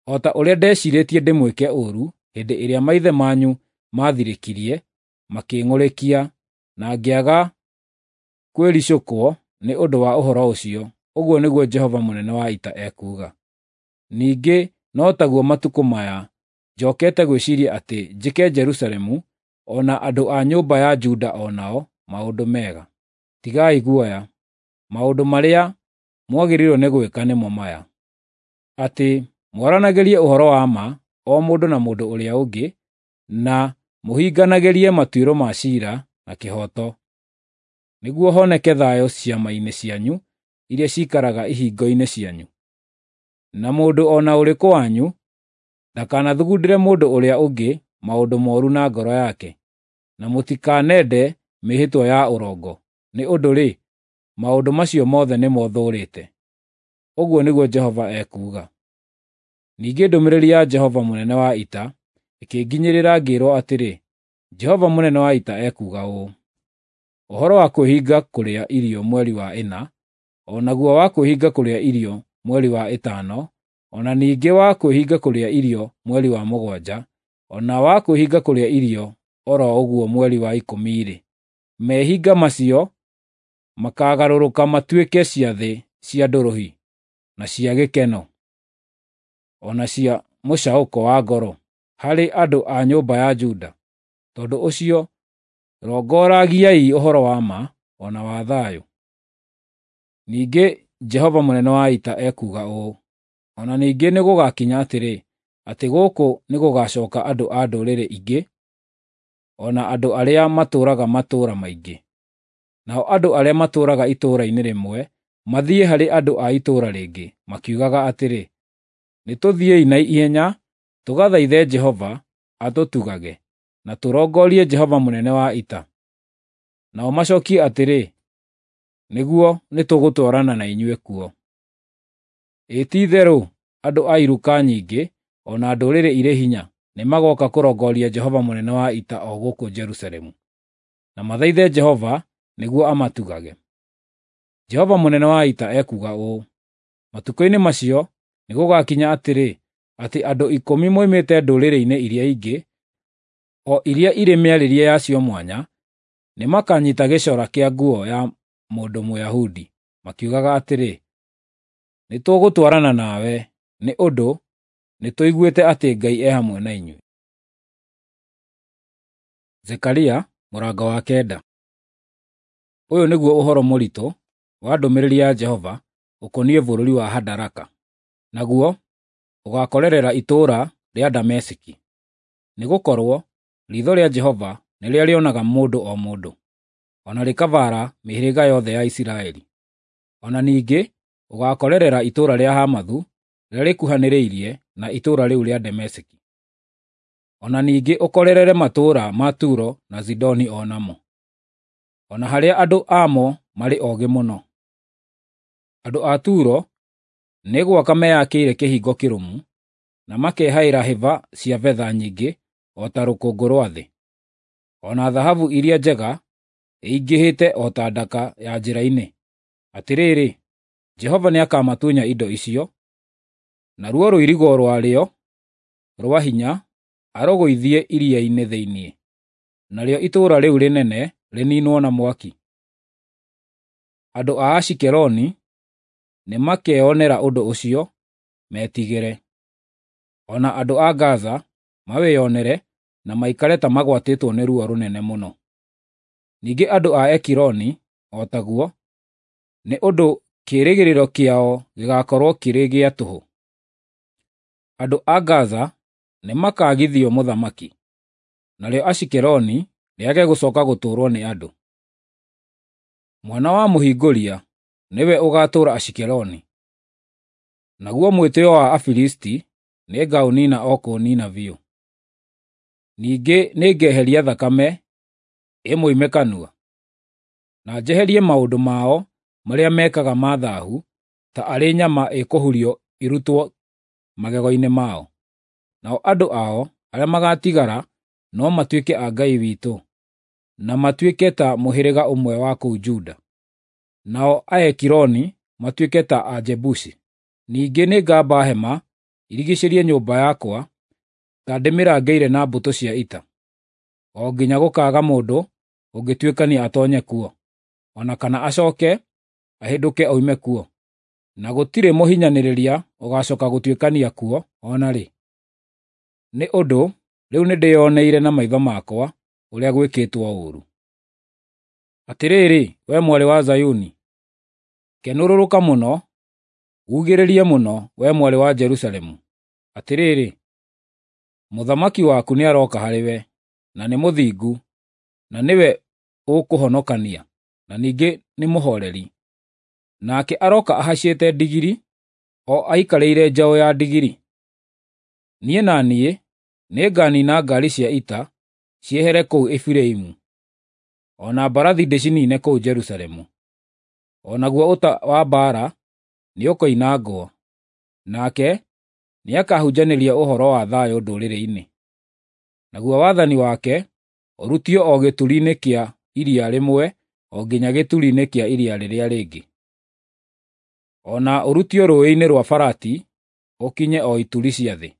S1: o ta ũrĩa ndeciirĩtie ndĩmwĩke ũũru hĩndĩ ĩrĩa maithe manyu maathirĩkirie makĩng'ũrĩkia, na ngĩaga kwĩricũkwo nĩ ũndũ wa ũhoro ũcio, ũguo nĩguo Jehova mũnene wa ita ekuuga. Ningĩ no taguo matukũ maya njokete gwĩciiria atĩ njĩke Jerusalemu o na andũ a nyũmba ya Juda o nao maũndũ mega. Tigai guoya, maũndũ marĩa mwagĩrĩirwo nĩ gwĩka nĩmo maya: atĩ mwaranagĩrie ũhoro wa ma o mũndũ na mũndũ ũrĩa ũngĩ, na mũhinganagĩrie matuĩro ma ciira na kĩhooto, nĩguo honeke thayũ ciama-inĩ cianyu iria ciikaraga ihingo-inĩ cianyu. Na mũndũ o na ũrĩkũ wanyu ndakanathugundĩre mũndũ ũrĩa ũngĩ maũndũ mooru na ngoro yake, na mũtikanende mĩĩhĩtwa ya ũrongo, nĩ ũndũ-rĩ, maũndũ macio mothe nĩmo thũũrĩte. Ũguo nĩguo Jehova ekuuga. Ningĩ ndũmĩrĩri ya Jehova mũnene wa ita ĩkĩnginyĩrĩra ngĩĩrwo atĩrĩ, Jehova mũnene wa ita ekuuga ũũ: ũhoro wa kwĩhinga kũrĩa irio mweri wa ĩna, o naguo wa kwĩhinga kũrĩa irio mweri wa ĩtano, o na ningĩ wa kwĩhinga kũrĩa irio mweri wa mũgwanja, o na wa kwĩhinga kũrĩa irio o ro ũguo mweri wa ikũmi-rĩ, mehinga macio makaagarũrũka matuĩke ciathĩ cia ndũrũhĩ, na cia gĩkeno, o na cia mũcaũko wa ngoro harĩ andũ a nyũmba ya Juda. Tondũ ũcio rongoragiai ũhoro wa ma o na wa thayũ. Ningĩ Jehova mũnene wa ita ekuuga ũũ: o na ningĩ nĩgũgakinya atĩrĩ, atĩ gũkũ nĩgũgacoka andũ a ndũrĩrĩ ingĩ, o na andũ arĩa matũũraga matũũra maingĩ. Nao andũ arĩa matũũraga itũũra-inĩ rĩmwe mathiĩ harĩ andũ a itũũra rĩngĩ, makiugaga atĩrĩ, ‘Nĩtũthiĩi na ihenya tũgathaithe Jehova atũtugage, na tũrongorie Jehova mũnene wa ita.’ Nao macookie atĩrĩ, ‘Nĩguo nĩtũgũtwarana na inyuĩ kuo.’ Ĩ ti-itherũ andũ a iruka nyingĩ o na ndũrĩrĩ irĩ hinya nĩmagooka kũrongoria Jehova mũnene wa ita o gũkũ Jerusalemu, na mathaithe Jehova nĩguo amatugage. Jehova mũnene wa ita ekuuga ũũ: Matukũ-inĩ macio nĩgũgakinya atĩrĩ, atĩ andũ 10 moimĩte ndũrĩrĩ-inĩ iria ingĩ, o iria irĩ mĩarĩrie yacio mwanya, nĩmakanyiita gĩcora kĩa nguo ya mũndũ Mũyahudi, makiugaga atĩrĩ, ‘Nĩtũgũtwarana nawe, nĩ ũndũ nĩtũiguĩte atĩ Ngai e hamwe na inyuĩ.’ Zekaria mũrango wa 9. Ũyũ nĩguo ũhoro mũritũ wa ndũmĩrĩri ya Jehova ũkoniĩ bũrũri wa Hadaraka, naguo ũgaakorerera itũũra rĩa Dameski. Nĩgũkorwo riitho rĩa Jehova nĩrĩo rĩonaga mũndũ o mũndũ, o na rĩkabaara mĩhĩrĩga yothe ya Isiraeli. O na ningĩ ũgaakorerera itũũra rĩa Hamathu rĩrĩa rĩkuhanĩrĩirie na itũũra rĩu rĩa Dameski. O na ningĩ ũkorerere matũũra ma Turo na Sidoni o namo, o na harĩa andũ amo marĩ oogĩ mũno. Andũ a Turo nĩ gwaka meyakĩire kĩhingo kĩrũmu, na makehaĩra hĩba cia betha nyingĩ o ta rũkũngũ rwa thĩ, o na thahabu iria njega ĩingĩhĩte o ta ndaka ya njĩra-inĩ. Atĩrĩrĩ, Jehova nĩakamatunya indo icio, naruo rũirigo rwarĩo rwa hinya arũgũithie iria-inĩ thĩinĩ, narĩo itũũra rĩu rĩnene rĩniinwo na mwaki. Andũ a Ashikeloni nĩmakeonera ũndũ ũcio, metigĩre. O na andũ a Gaza mawĩonere na maikare ta magwatĩtwo nĩ ruo rũnene mũno. Ningĩ andũ a Ekironi o taguo, nĩ ũndũ kĩĩrĩgĩrĩro kĩao gĩgaakorwo kĩrĩ gĩa tũhũ. Andũ a Gaza nĩmakaagithio mũthamaki, narĩo Ashikeloni rĩage gũcooka gũtũũrwo nĩ andũ. Mwana wa mũhingũria nĩwe ũgaatũũra Ashikeloni, naguo mwĩtĩĩo wa Afilisti nĩngaũniina o kũũniina biũ. Ningĩ nĩngeheria thakame ĩmoime kanua, na njeherie maũndũ mao marĩa mekaga ma thaahu ta arĩ nyama ĩkũhurio ĩrutwo magego-inĩ mao. Nao andũ ao arĩa magaatigara no matuĩke a Ngai witũ, na matuĩke ta mũhĩrĩga ũmwe wa kũu Juda, nao Aekironi matuĩke ta Ajebusi. Ningĩ nĩngamba hema irigiicĩrie nyũmba yakwa ta ndĩmĩrangĩire na mbũtũ cia ita, o nginya gũkaaga mũndũ ũngĩtuĩkania atoonye kuo, o na kana acooke ahĩndũke oime kuo, na gũtirĩ mũhinyanĩrĩria ũgaacooka gũtuĩkania kuo o na rĩ. Nĩ ũndũ rĩu nĩndĩĩoneire na maitho makwa ũrĩa gwĩkĩtwo ũũru. Atĩrĩrĩ, wee mwarĩ wa Zayuni, kenũrũrũka mũno, ugĩrĩrie mũno, wee mwarĩ wa Jerusalemu. Atĩrĩrĩ, mũthamaki waku nĩarooka harĩwe, na nĩ mũthingu, na nĩwe ũkũhonokania, na ningĩ nĩ mũhooreri. Nake arooka ahaicĩte ndigiri, o aikarĩire njaũ ya ndigiri. Niĩ na niĩ nĩnganiina ngaari cia ita ciehere kũu Efiraimu, o na mbarathi ndĩciniine kũu Jerusalemu. O naguo ũta wa mbaara nĩũkoinangwo, nake nĩakahunjanĩria ũhoro wa thayũ ndũrĩrĩ-inĩ. Naguo wathani wake ũrutio o gĩturi-inĩ kĩa iria rĩmwe o nginya gĩturi-inĩ kĩa iria rĩrĩa rĩngĩ, o na ũrutio rũũĩ-inĩ rwa Farati ũkinye o ituri cia thĩ.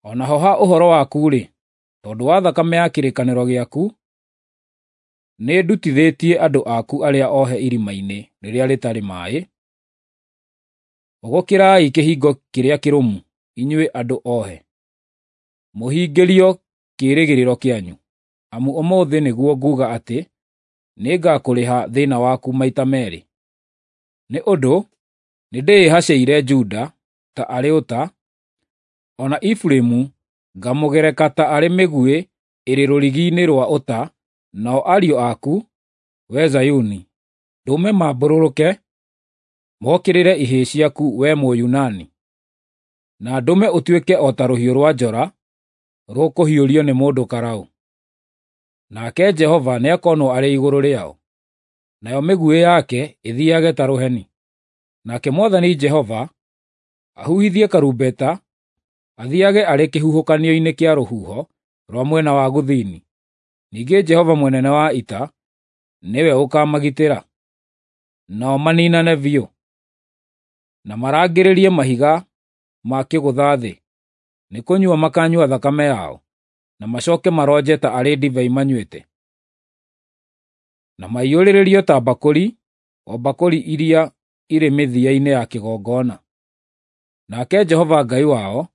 S1: O naho ha ũhoro waku-rĩ, tondũ wa thakame ya kĩrĩkanĩro gĩaku, nĩndutithĩtie andũ aku arĩa ohe irima-inĩ rĩrĩa rĩtarĩ maaĩ. Hũgũkĩrai kĩhingo kĩrĩa kĩrũmu, inyuĩ andũ ohe, mũhingĩrio kĩĩrĩgĩrĩro kĩanyu, amu ũmũthĩ nĩguo nguuga atĩ nĩngakũrĩha thĩĩna waku maita meerĩ. Nĩ ũndũ nĩndĩĩhacĩire Juda ta arĩ ũta, O na Efiraimu ngamũgereka ta arĩ mĩguĩ ĩrĩ rũrigi-inĩ rũa ũta, nao ariũ aku, wee Zayuni, ndũme maambũrũrũke mokĩrĩre ihĩĩ ciaku, wee Mũyunani, na ndũme ũtuĩke o ta rũhiũ rũa njora rũkũhiũrio nĩ mũndũ karaũ. Nake Jehova nĩakonwo arĩ igũrũ rĩao, nayo mĩguĩ yake ĩthiage ta rũheni. Nake Mwathani Jehova ahuhithie karumbeta, athiage arĩ kĩhuhũkanio-inĩ kĩa rũhuho rwa mwena wa gũthini. Ningĩ Jehova mũnene wa ita nĩwe ũkamagitĩra, nao maninane biũ, na marangĩrĩrie mahiga ma kĩgũtha thĩ. Nĩ kũnyua makanyua thakame yao, na macoke maronje ta arĩ ndibei manyuĩte, na maiyũrĩrĩrio ta mbakũri, o mbakũri iria irĩ mĩthia-inĩ ya kĩgongona. Nake Jehova Ngai wao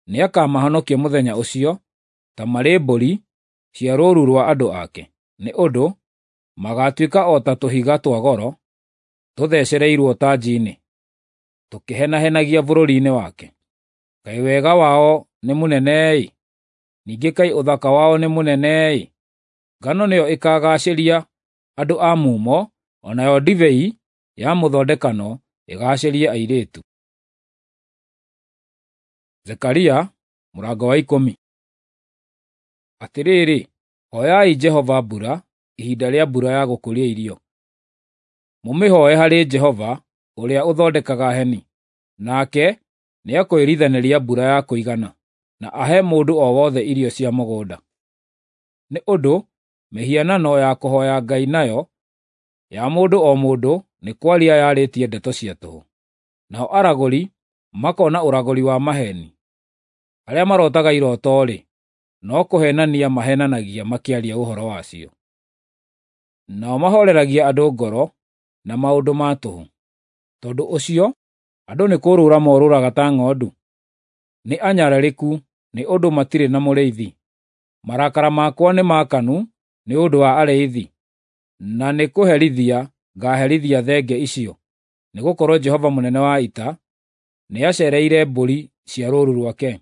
S1: nĩakamahonokia mũthenya ũcio ta marĩ mbũri cia rũũru rwa andũ ake, nĩ ũndũ magaatuĩka o ta tũhiga twa goro tũthecereirwo tanji-inĩ, tũkĩhenahenagia bũrũri-inĩ wake. Kaĩ wega wao nĩ mũnene-ĩ! Ningĩ kaĩ ũthaka wao nĩ mũnene-ĩ! Ngano nĩyo ĩkaagaacĩria andũ a mumo, o nayo ndibei ya mũthondekano ĩgaacĩrie airĩtu. Zekaria mũrango wa 10. Atĩrĩrĩ, hoyai Jehova mbura ihinda rĩa mbura ya gũkũria irio. Mũmĩhooe harĩ Jehova ũrĩa ũthondekaga heni, nake nĩakwĩrithanĩria mbura ya kũigana, na ahe mũndũ o wothe irio cia mũgũnda. Nĩ ũndũ mĩhianano ya kũhooya Ngai nayo ya mũndũ o mũndũ nĩ kwaria yarĩtie ndeto cia tũhũ. Nao aragũri makona ũragũri wa maheeni. Arĩa marotaga iroto-rĩ, no kũheenania maheenanagia makĩaria ũhoro wacio. Nao mahooreragia andũ ngoro na maũndũ ma tũhũ. Tondũ ũcio andũ nĩ kũũrũra morũraga ta ng'ondu. Nĩ anyararĩku nĩ ũndũ matirĩ na mũrĩithi. Marakara makwa nĩmaakanu nĩ ũndũ wa arĩithi, na nĩ kũherithia ngaaherithia thenge icio, nĩgũkorwo Jehova mũnene wa ita nĩaceereire mbũri cia rũũru rwake,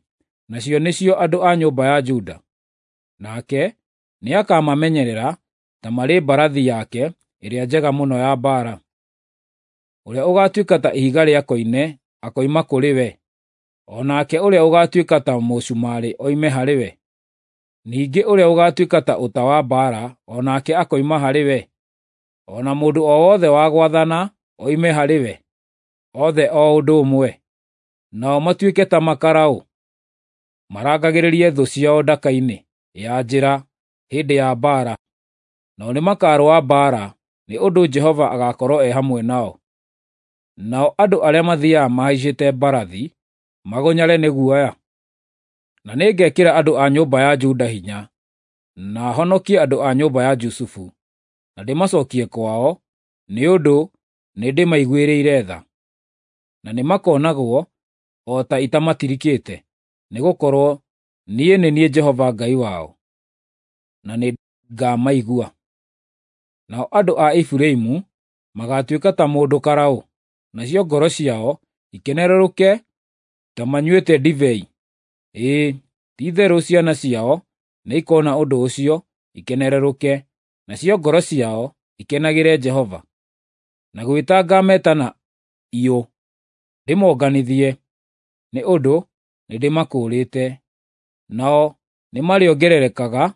S1: nacio nĩcio andũ a nyũmba ya Juda. Nake nĩakamamenyerera ta marĩ mbarathi yake ĩrĩa njega mũno ya mbaara. Ũrĩa ũgaatuĩka ta ihiga rĩa koine akoima kũrĩ we, o nake ũrĩa ũgaatuĩka ta mũcumarĩ oime harĩ we. Ningĩ ũrĩa ũgaatuĩka ta ũta wa mbaara o nake akoima harĩ we, o na mũndũ o wothe wa gwathana oime harĩ we, othe o ũndũ ũmwe. Nao matuĩke ta makaraũ, marangagĩrĩrie thũ ciao ndaka-inĩ ya njĩra hĩndĩ ya mbaara. Nao nĩmakarũa mbaara, nĩ ũndũ Jehova agaakorwo e hamwe nao. Nao andũ arĩa mathiiaga mahaicĩte mbarathi magũnyare nĩ guoya. Na nĩngekĩra andũ a nyũmba ya Juda hinya, na honokie andũ a nyũmba ya Jusufu, na ndĩmacookie kwao, nĩ ũndũ nĩndĩmaiguĩrĩire tha. Na nĩmakonagwo o ta itamatirikĩte, nĩgũkorwo niĩ nĩ niĩ Jehova Ngai wao, na nĩngamaigua. Nao andũ a Efiraimu magaatuĩka ta mũndũ karaũ, nacio ngoro ciao ikenerũrũke ta manyuĩte ndibei. Ĩĩ, ti-itherũ ciana ciao nĩikoona ũndũ ũcio ikenerũrũke, nacio ngoro ciao ikenagĩre Jehova. Na gwĩta ngaameta na iyũ, ndĩmonganithie, nĩ ũndũ nĩndĩmakũũrĩte. Nao nĩmarĩongererekaga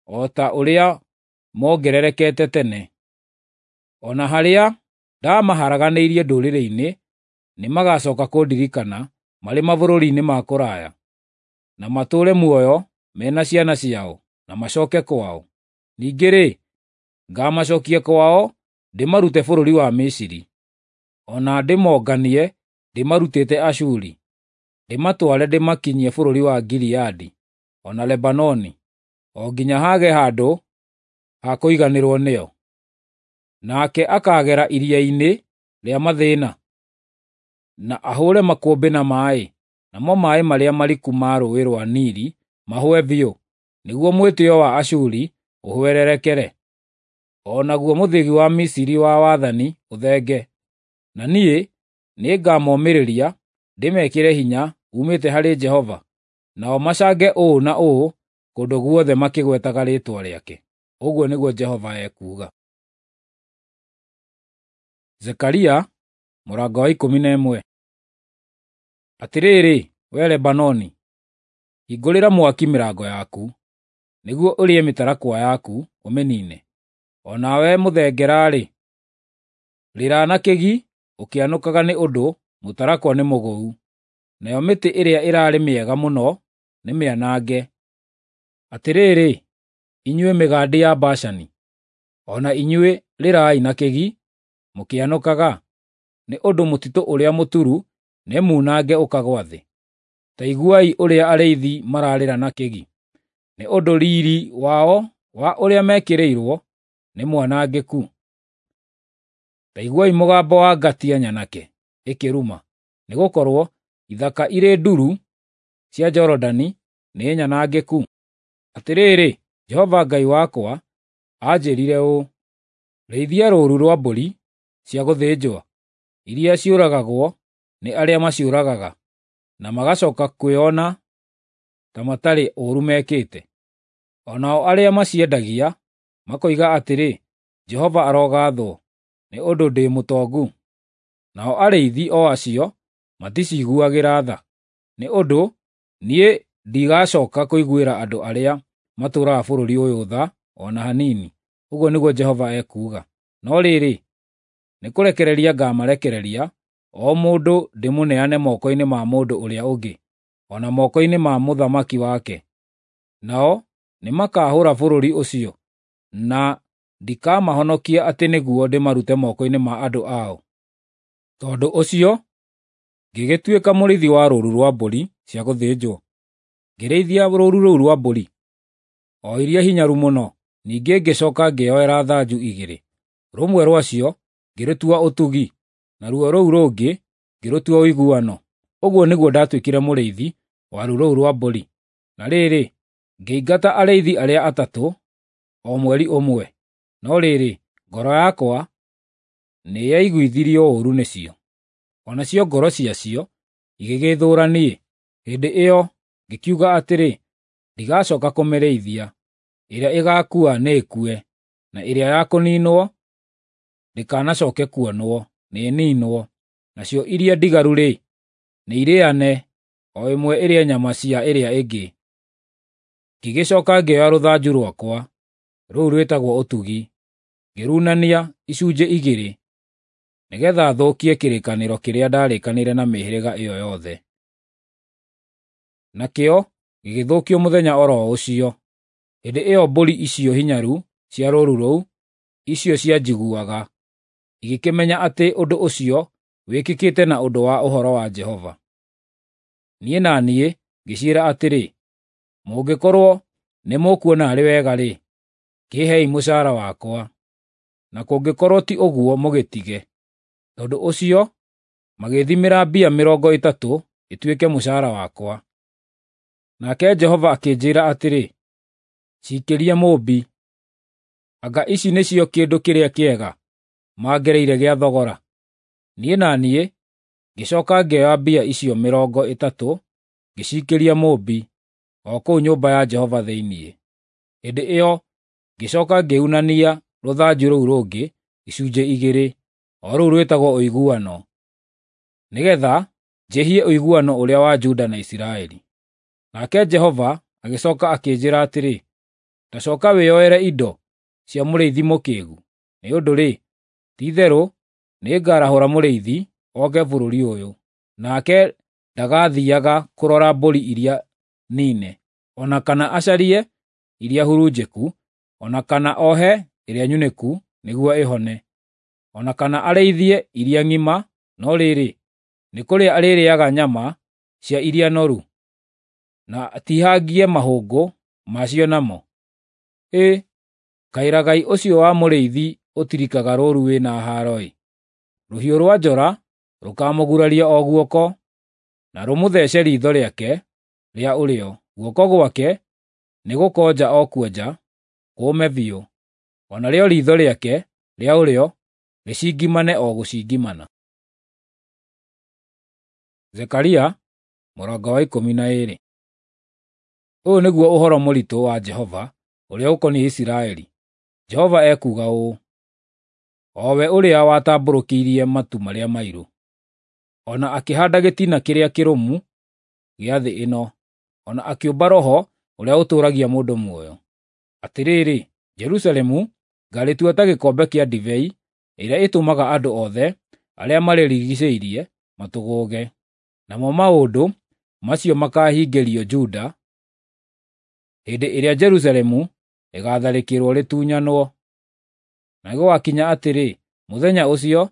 S1: o ta ũrĩa moongererekete tene. O na harĩa ndaamaharaganĩirie ndũrĩrĩ-inĩ, nĩmagacooka kũndirikana marĩ mabũrũri-inĩ ma kũraya, na matũũre muoyo me na ciana ciao, na macooke kwao. Ningĩ-rĩ, ngaamacookia kwao ndĩmarute bũrũri wa Misiri, o na ndĩmonganie ndĩmarutĩte Ashuri, ndĩmatware ndĩmakinyie bũrũri wa Gileadi o na Lebanoni, o nginya haage handũ ha kũiganĩrwo nĩo. Nake akaagera iria-inĩ rĩa mathĩĩna, na ahũũre makũmbĩ na maaĩ, namo maaĩ marĩa mariku ma Rũũĩ rwa Nili mahũe biũ, nĩguo mwĩtĩĩo wa Ashuri ũhwererekere, o naguo mũthĩgi wa Misiri wa wathani ũthenge. Na niĩ nĩngamomĩrĩria, ndĩmekĩre hinya uumĩte harĩ Jehova, nao macange ũũ na ũũ kũndũ guothe makĩgwetaga rĩĩtwa rĩake. Ũguo nĩguo Jehova ekuuga. Zekaria mũrango wa 11. Atĩrĩrĩ, wee Lebanoni, hingũrĩra mwaki mĩrango yaku, nĩguo ũrĩe mĩtarakwa yaku ũmĩniine. O nawe mũthengera-rĩ, rĩra na kĩgi ũkĩanũkaga nĩ ũndũ mũtarakwa nĩ mũgũu, nayo mĩtĩ ĩrĩa ĩrarĩ mĩega mũno nĩ mĩanange. Atĩrĩrĩ, inyuĩ mĩgandi ya Bashani, o na inyuĩ rĩrai na kĩgi mũkĩanũkaga, nĩ ũndũ mũtitũ ũrĩa mũturu nĩmunange ũkagũa thĩ. Ta iguai ũrĩa arĩithi mararĩra na kĩgi, nĩ ũndũ riiri wao wa ũrĩa mekĩrĩirwo nĩ mwanangĩku. Ta iguai mũgambo wa ngatia nyanake ĩkĩruma, nĩgũkorwo ithaka irĩ nduru cia Jorodani nĩ nyanangĩku. Atĩrĩrĩ, Jehova Ngai wakwa anjĩĩrire ũũ: Rĩithia rũũru rwa mbũri cia gũthĩnjwo, iria ciũragagwo nĩ arĩa maciũragaga, na magacooka kwĩona ta matarĩ ũũru mekĩte. O nao arĩa maciendagia makoiga atĩrĩ, ‘Jehova arogaathwo, nĩ ũndũ ndĩ mũtongu.’ Nao arĩithi o acio maticiguagĩra tha, nĩ ũndũ niĩ ndigacooka kũiguĩra andũ arĩa matũũraga bũrũri ũyũ tha o na hanini, ũguo nĩguo Jehova ekuuga. No rĩrĩ, nĩkũrekereria ngaamarekereria, o mũndũ ndĩmũneane moko-inĩ ma mũndũ ũrĩa ũngĩ, o na moko-inĩ ma mũthamaki wake. Nao nĩmakahũũra bũrũri ũcio, na ndikamahonokia atĩ nĩguo ndĩmarute moko-inĩ ma andũ ao. Tondũ ũcio ngĩgĩtuĩka mũrĩithi wa rũũru rwa mbũri cia gũthĩnjwo, ngĩrĩithia rũũru rũu rwa mbũri, o iria hinyaru mũno. Ningĩ ngĩcooka ngĩĩoera thanju igĩrĩ, rũmwe rwacio ngĩrũtua Ũtugi, naruo rũu rũngĩ ngĩrũtua Ũiguano. Ũguo nĩguo ndaatuĩkire mũrĩithi wa rũũru rũu rwa mbũri. Na rĩrĩ, ngĩingata arĩithi arĩa atatũ o mweri ũmwe, no rĩrĩ, ngoro yakwa nĩyaiguithirio ũũru nĩcio, o nacio ngoro ciacio igĩgĩĩthũũra niĩ. Hĩndĩ ĩyo ngĩkiuga atĩrĩ, ndigacooka kũmĩrĩithia. Ĩrĩa ĩgaakua nĩĩkue, na ĩrĩa ya kũniinwo ndĩkanacooke kuonwo, nĩĩniinwo. Nacio iria ndigaru-rĩ, nĩirĩane, o ĩmwe ĩrĩe nyama cia ĩrĩa ĩngĩ. Ngĩgĩcooka ngĩoya rũthanju rwakwa, rũu rwĩtagwo Ũtugi, ngĩrunania icunjĩ igĩrĩ, nĩgeetha thũkie kĩrĩkanĩro kĩrĩa ndarĩkanĩire na mĩhĩrĩga ĩyo yothe. Nakĩo gĩgĩthũkio mũthenya o ro ũcio. Hĩndĩ ĩyo mbũri icio hinyaru cia rũũru rũu, icio cianjiguaga, igĩkĩmenya atĩ ũndũ ũcio wĩkĩkĩte na ũndũ wa ũhoro wa Jehova. Niĩ na niĩ ngĩciĩra atĩrĩ, “Mũngĩkorwo nĩmũkuona arĩ wega-rĩ, kĩĩhei mũcaara wakwa, na kũngĩkorwo ti ũguo mũgĩtige.” Tondũ ũcio magĩĩthimĩra mbia 30 ituĩke mũcaara wakwa. Nake Jehova akĩnjĩĩra atĩrĩ, “Ciikĩrie mũũmbi. Anga ici nĩcio kĩndũ kĩrĩa kĩega mangereire gĩa thogora?” Niĩ na niĩ ngĩcooka ngĩoya mbia icio 30 ngĩciikĩria mũũmbi, o kũu nyũmba ya Jehova thĩinĩ. Hĩndĩ ĩyo ngĩcooka ngĩunania rũthanju rũu rũngĩ icunjĩ igĩrĩ, o rũu rwĩtagwo Ũiguano, nĩgeetha njĩhie ũiguano ũrĩa wa Juda na Isiraeli. Nake Jehova agĩcooka akĩnjĩĩra atĩrĩ, “Ta cooka wĩyoere indo cia mũrĩithi mũkĩĩgu, nĩ ũndũ-rĩ, ti-itherũ nĩngarahũra mũrĩithi oke bũrũri ũyũ, nake ndagathiiaga kũrora mbũri iria niine, o na kana acarie iria hurunjĩku, o na kana ohe ĩrĩa nyunĩku nĩguo ĩhone, o na kana arĩithie iria ng'ima, no rĩrĩ, nĩ kũrĩa arĩrĩĩaga nyama cia iria noru, na atihangie mahũngũ macio namo. Ĩ, kaĩ ragai ũcio wa mũrĩithi ũtirikaga rũũru wĩ na haaro-ĩ! Rũhiũ rwa njora rũkaamũguraria o guoko, na rũmũthece riitho rĩake rĩa ũrĩo. Guoko gwake nĩgũkonja o kuonja kũũme biũ, o narĩo riitho rĩake rĩa ũrĩo rĩcingimane o gũcingimana. Zekaria Mũrango wa 12. Ũyũ nĩguo ũhoro mũritũ wa Jehova ũrĩa ũkoniĩ Isiraeli. Jehova ekuuga ũũ, o we ũrĩa watambũrũkĩirie matu marĩa mairũ, o na akĩhaanda gĩtina kĩrĩa kĩrũmu gĩa thĩ ĩno, o na akĩũmba roho ũrĩa ũtũũragia mũndũ muoyo. Atĩrĩrĩ, Jerusalemu ngaarĩtua ta gĩkombe kĩa ndibei ĩrĩa ĩtũmaga andũ othe arĩa marĩrigiicĩirie matũgũũge. Namo maũndũ macio makaahingĩrio Juda hĩndĩ ĩrĩa Jerusalemu rĩgaatharĩkĩrwo rĩtunyanwo. Na gũgakinya atĩrĩ, mũthenya ũcio,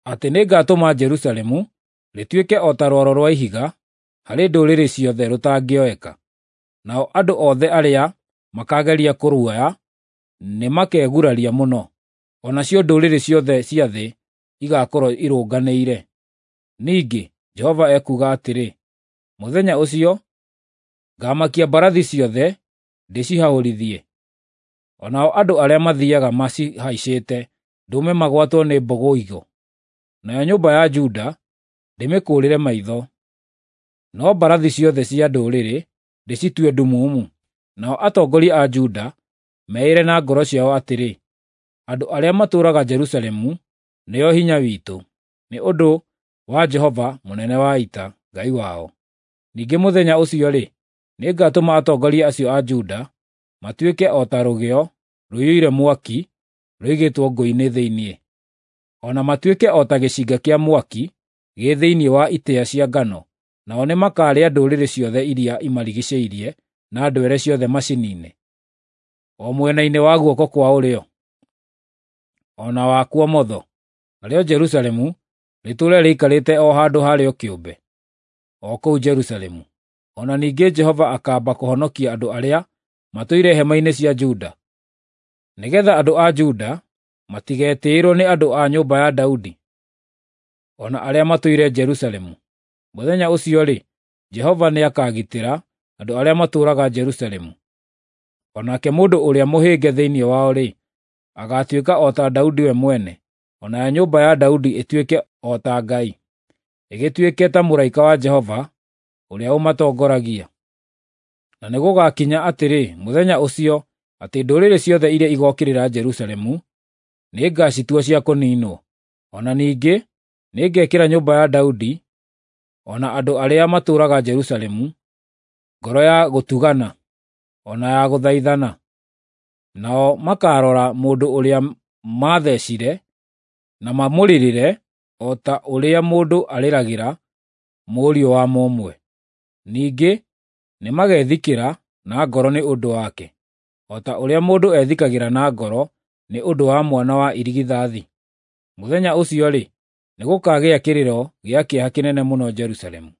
S1: atĩ nĩngatũma Jerusalemu rĩtuĩke o ta rwaro rwa ihiga harĩ ndũrĩrĩ ciothe rũtangĩoeka. Nao andũ othe arĩa makaageria kũruoya nĩmakeguraria mũno, o nacio ndũrĩrĩ ciothe cia thĩ igaakorwo irũnganĩire. Ningĩ Jehova ekuuga atĩrĩ, mũthenya ũcio ngaamakia mbarathi ciothe ndĩcihahũrithie, o nao andũ arĩa mathiiaga macihaicĩte ndũme magwatwo nĩ mbũgũigũ. Nayo nyũmba ya Juda ndĩmĩkũũrĩre maitho, no mbarathi ciothe cia ndũrĩrĩ ndĩcitue ndumumu. Nao atongoria a Juda meĩre na ngoro ciao atĩrĩ, andũ arĩa matũũraga Jerusalemu nĩo hinya witũ, nĩ ũndũ wa Jehova mũnene wa ita, Ngai wao. Ningĩ mũthenya ũcio-rĩ, nĩngatũma atongoria acio a Juda matuĩke o ta rũgĩo rũiyũire mwaki rũigĩtwo ngũ-inĩ thĩinĩ, o na matuĩke o ta gĩcinga kĩa mwaki gĩ thĩinĩ wa itĩĩa cia ngano. Nao nĩmakarĩa ndũrĩrĩ ciothe iria imarigiicĩirie na ndwere ciothe maciniine, o mwena-inĩ wa guoko kwa ũrĩo, o na wa kuomotho. Narĩo Jerusalemu rĩtũũre rĩikarĩte o handũ harĩo kĩũmbe, o kũu Jerusalemu. O na ningĩ Jehova akaamba kũhonokia andũ arĩa matũire hema-inĩ cia Juda, nĩgeetha andũ a Juda matigetĩĩrwo nĩ andũ a nyũmba ya Daudi, o na arĩa matũire Jerusalemu. Mũthenya ũcio-rĩ, Jehova nĩakagitĩra andũ arĩa matũũraga Jerusalemu. O nake mũndũ ũrĩa mũhĩnge thĩinĩ wao-rĩ, agaatuĩka o ta Daudi we mwene, o nayo nyũmba ya Daudi ĩtuĩke o ta Ngai, ĩgĩtuĩke ta mũraika wa Jehova ũrĩa ũmatongoragia. Na nĩgũgakinya atĩrĩ mũthenya ũcio atĩ ndũrĩrĩ ciothe iria igookĩrĩra Jerusalemu nĩngacitua cia kũniinwo. O na ningĩ nĩngekĩra nyũmba ya Daudi o na andũ arĩa matũũraga Jerusalemu ngoro ya gũtugana o na ya gũthaithana. Nao makaarora mũndũ ũrĩa maathecire na mamũrĩrĩre o ta ũrĩa mũndũ arĩragĩra mũriũ wa mũmwe. Ningĩ nĩmagethikĩra na ngoro nĩ ũndũ wake, o ta ũrĩa mũndũ ethikagĩra na ngoro nĩ ũndũ wa mwana wa irigithathi. Mũthenya ũcio-rĩ, nĩgũkagĩa kĩrĩro gĩa kĩeha kĩnene mũno Jerusalemu,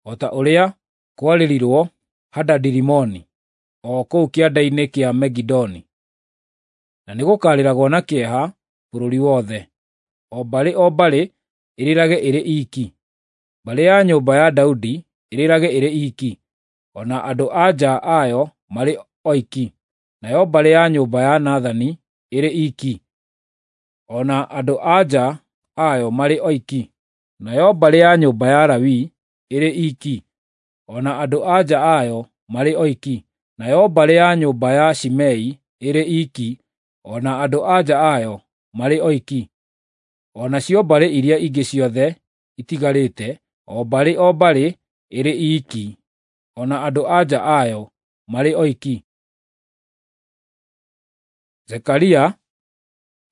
S1: o ta ũrĩa kwarĩrirwo Hadadi-Rimoni, o kũu kĩanda-inĩ kĩa Megidoni. Na nĩgũkarĩragwo na kĩeha bũrũri wothe, o mbarĩ o mbarĩ ĩrĩrage ĩrĩ iiki. Mbarĩ ya nyũmba ya Daudi ĩrĩrage ĩrĩ iiki, o na andũ-a-nja ayo marĩ oiki, nayo mbarĩ ya nyũmba ya Nathani ĩrĩ iiki, o na andũ-a-nja ayo marĩ oiki, nayo mbarĩ ya nyũmba ya Lawi ĩrĩ iiki, o na andũ-a-nja ayo marĩ oiki, nayo mbarĩ ya nyũmba ya Shimei ĩrĩ iiki, o na andũ-a-nja ayo marĩ oiki. O nacio mbarĩ iria ingĩ ciothe itigarĩte, o mbarĩ o mbarĩ ĩrĩ iiki, o na andũ-a-nja ayo marĩ oiki. Zekaria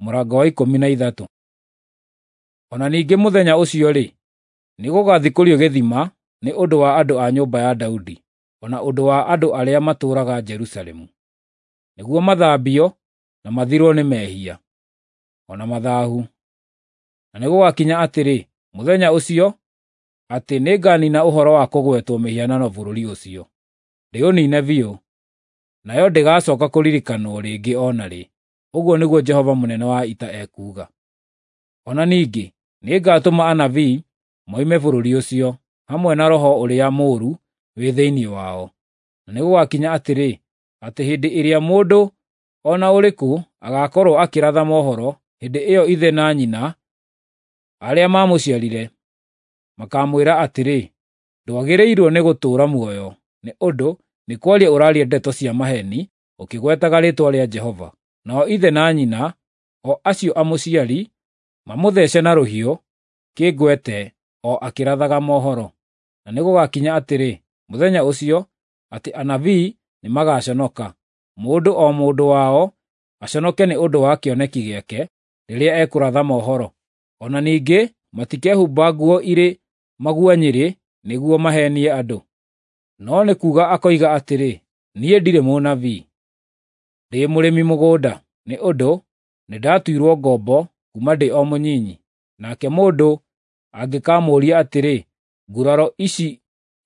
S1: mũrango wa 13. O na ningĩ mũthenya ũcio-rĩ, nĩgũgathikũrio gĩthima nĩ ũndũ wa andũ a nyũmba ya Daudi, o na ũndũ wa andũ arĩa matũũraga Jerusalemu, nĩguo mathambio na mathirwo nĩ mehia, o na mathaahu. Na nĩgũgakinya atĩrĩ, mũthenya ũcio, atĩ nĩnganina ũhoro wa kũgwetwo mĩhianano bũrũri ũcio, ndĩũniine biũ, nayo ndĩgacooka kũririkanwo rĩngĩ o na rĩ. Ũguo nĩguo Jehova mũnene wa ita ekuuga. O na ningĩ nĩngatũma anabii moime bũrũri ũcio, hamwe na roho ũrĩa mũũru wĩ thĩinĩ wao. Na nĩgũgakinya atĩrĩ, atĩ hĩndĩ ĩrĩa mũndũ o na ũrĩkũ agaakorwo akĩratha mohoro, hĩndĩ ĩyo ithe na nyina arĩa maamũciarire makamwĩra atĩrĩ, Ndwagĩrĩirwo nĩ gũtũũra muoyo, nĩ ũndũ nĩ kwaria ũraaria ndeto cia maheeni ũkĩgwetaga rĩĩtwa rĩa Jehova. Nao ithe na nyina, o acio amũciari, mamũthece na rũhiũ kĩngwete o akĩrathaga mohoro. Na nĩgũgakinya atĩrĩ, mũthenya ũcio, atĩ anabii nĩmagaconoka, mũndũ o mũndũ wao aconoke nĩ ũndũ wa kĩoneki gĩake rĩrĩa ekũratha mohoro. O na ningĩ matikehumba nguo irĩ maguanyĩrĩ nĩguo maheenie andũ. No nĩ kuuga akoiga atĩrĩ, ‘Niĩ ndirĩ mũnabii, ndĩ mũrĩmi mũgũnda, nĩ ũndũ nĩndatuirwo ngombo kuuma ndĩ o mũnyinyi.’ Nake mũndũ angĩkamũũria atĩrĩ, ‘Nguraro ici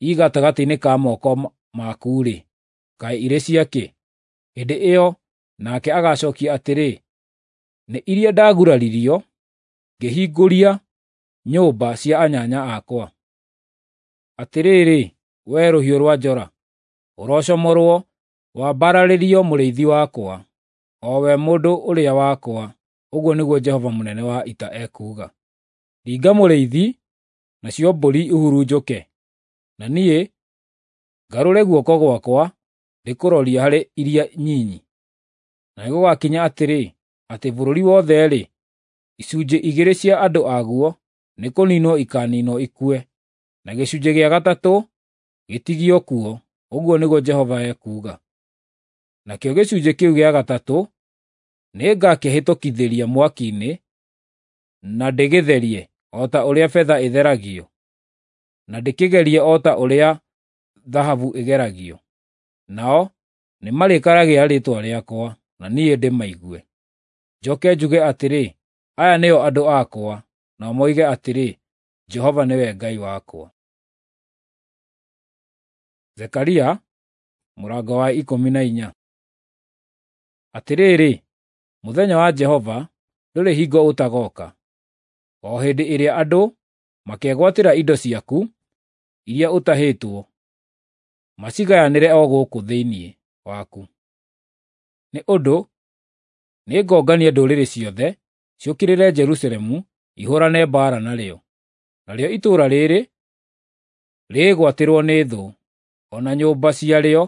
S1: i gatagatĩ-inĩ ka moko maku-rĩ, kaĩ irĩ cia kĩ?’ Hĩndĩ ĩyo nake agacookia atĩrĩ, ‘Nĩ iria ndaguraririo ngĩhingũria nyũmba cia anyanya akwa.’ Atĩrĩrĩ, wee rũhiũ rwa njora, ũrocomorwo wambararĩrio mũrĩithi wakwa, o we mũndũ ũrĩa wakwa, ũguo nĩguo Jehova mũnene wa ita ekuuga. Ringa mũrĩithi, nacio mbũri ihurunjũke, na niĩ ngarũre guoko gwakwa ndĩkũrorie harĩ iria nyinyi. Na nĩgũgakinya atĩrĩ, atĩ bũrũri wothe-rĩ, icunjĩ igĩrĩ cia andũ aguo nĩkũniinwo ikaaniinwo ikue, na gĩcunjĩ gĩa gatatũ gĩtigio kuo, ũguo nĩguo Jehova ekuuga. Nakĩo gĩcunjĩ kĩu gĩa gatatũ nĩngakĩhĩtũkithĩria mwaki-inĩ na ndĩgĩtherie o ta ũrĩa betha ĩtheragio, na ndĩkĩgerie o ta ũrĩa thahabu ĩgeragio. Nao nĩmarĩkaragĩra rĩĩtwa rĩakwa, na niĩ ndĩmaigue. Njoke njuge atĩrĩ, ‘Aya nĩo andũ akwa,’ nao moige atĩrĩ, ‘Jehova nĩwe Ngai wakwa.’ Zekaria mũrango wa 14. Atĩrĩrĩ, mũthenya wa Jehova ndũrĩ hingo ũtagooka, o hĩndĩ ĩrĩa andũ makegwatĩra indo ciaku iria ũtahĩtwo, macigayanĩre o gũkũ thĩinĩ waku. Nĩ ũndũ nĩngongania ndũrĩrĩ ciothe ciũkĩrĩre Jerusalemu ihũũrane mbaara narĩo. Narĩo itũũra rĩĩrĩ rĩĩgwatĩrwo nĩ thũ, o na nyũmba ciarĩo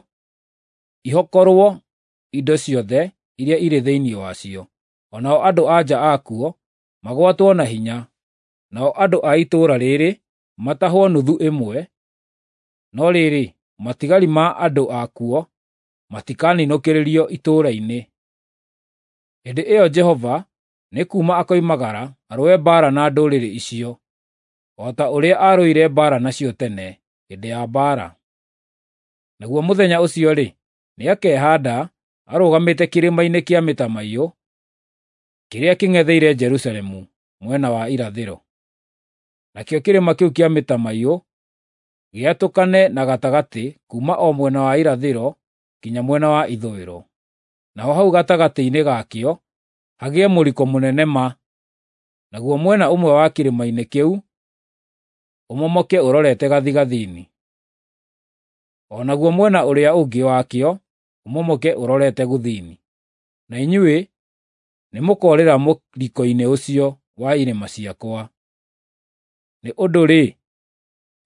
S1: ihokorwo indo ciothe iria irĩ thĩinĩ wacio, o nao andũ-a-nja akuo magwatwo na hinya, nao andũ a itũũra rĩĩrĩ matahwo nuthu ĩmwe, no rĩrĩ, matigari ma andũ akuo matikaninũkĩrĩrio itũũra-inĩ. Hĩndĩ ĩyo Jehova nĩ kuuma akoimagara arũe mbaara na ndũrĩrĩ icio, o ta ũrĩa aarũire mbaara nacio tene hĩndĩ ya mbaara. Naguo mũthenya ũcio-rĩ, nĩakehaanda arũgamĩte kĩrĩma-inĩ kĩa mĩtamaiyũ kĩrĩa kĩng'etheire Jerusalemu mwena wa irathĩro. Nakĩo kĩrĩma kĩu kĩa mĩtamaiyũ gĩatũkane na gatagatĩ kuuma o mwena wa irathĩro nginya mwena wa ithũĩro. Naho hau gatagatĩ-inĩ gakĩo hagĩe mũriko mũnene ma, naguo mwena ũmwe wa kĩrĩma-inĩ kĩu ũmomoke ũrorete gathigathini, o naguo mwena ũrĩa ũngĩ wakĩo ũmomoke ũrorete gũthini. Na inyuĩ nĩmũkoorĩra mũriko-inĩ ũcio wa irĩma ciakwa. Nĩ ũndũ-rĩ,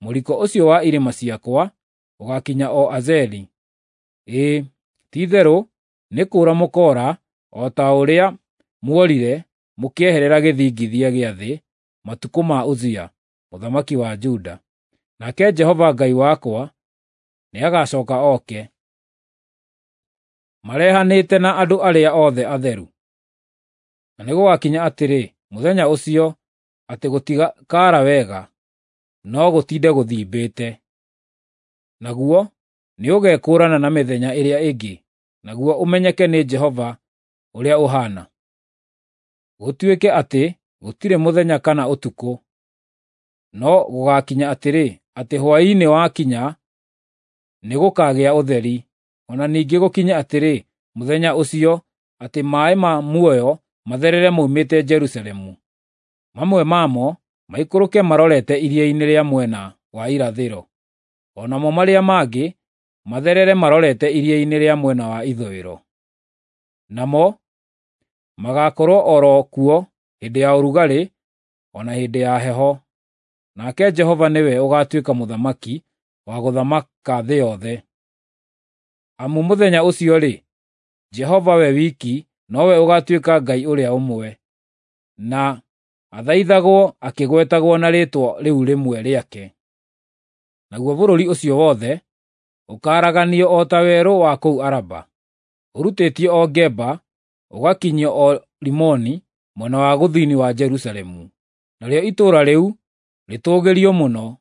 S1: mũriko ũcio wa irĩma ciakwa ũgaakinya o Azeli. Ĩĩ, ti-itherũ nĩ kũũra mũkoora o ta ũrĩa muorire mũkĩeherera gĩthingithia gĩa thĩ matukũ ma Uzia mũthamaki wa Juda. Nake Jehova Ngai wakwa nĩagacooka oke, marehanĩte na andũ arĩa othe atheru. Na nĩgũgakinya atĩrĩ, mũthenya ũcio, atĩ gũtikaara wega, no gũtinde gũthimbĩte. Naguo nĩũgekũũrana na mĩthenya ĩrĩa ĩngĩ, naguo ũmenyeke nĩ Jehova ũrĩa ũhaana. Gũtuĩke atĩ gũtirĩ mũthenya kana ũtukũ, no gũgaakinya atĩrĩ, atĩ hwaĩ-inĩ wakinya nĩgũkagĩa ũtheri. O na ningĩ gũkinye atĩrĩ, mũthenya ũcio, atĩ maaĩ ma muoyo matherere moimĩte Jerusalemu, mamwe mamo maikũrũke marorete iria-inĩ rĩa mwena wa irathĩro, o namo marĩa mangĩ matherere marorete iria-inĩ rĩa mwena wa ithũĩro. Namo magaakorwo o ro kuo hĩndĩ ya ũrugarĩ o na hĩndĩ ya heho. Nake Jehova nĩwe ũgaatuĩka mũthamaki wa gũthamaka thĩ yothe. Amu mũthenya ũcio-rĩ, Jehova we wiki nowe ũgaatuĩka Ngai ũrĩa ũmwe, na athaithagwo akĩgwetagwo na rĩĩtwa rĩu rĩmwe rĩake. Naguo bũrũri ũcio wothe ũkaaraganio o ta werũ wa kũu Araba, ũrutĩtio o Geba ũgakinyio o Rimoni mwena wa gũthini wa Jerusalemu. Narĩo itũũra rĩu rĩtũũgĩrio mũno,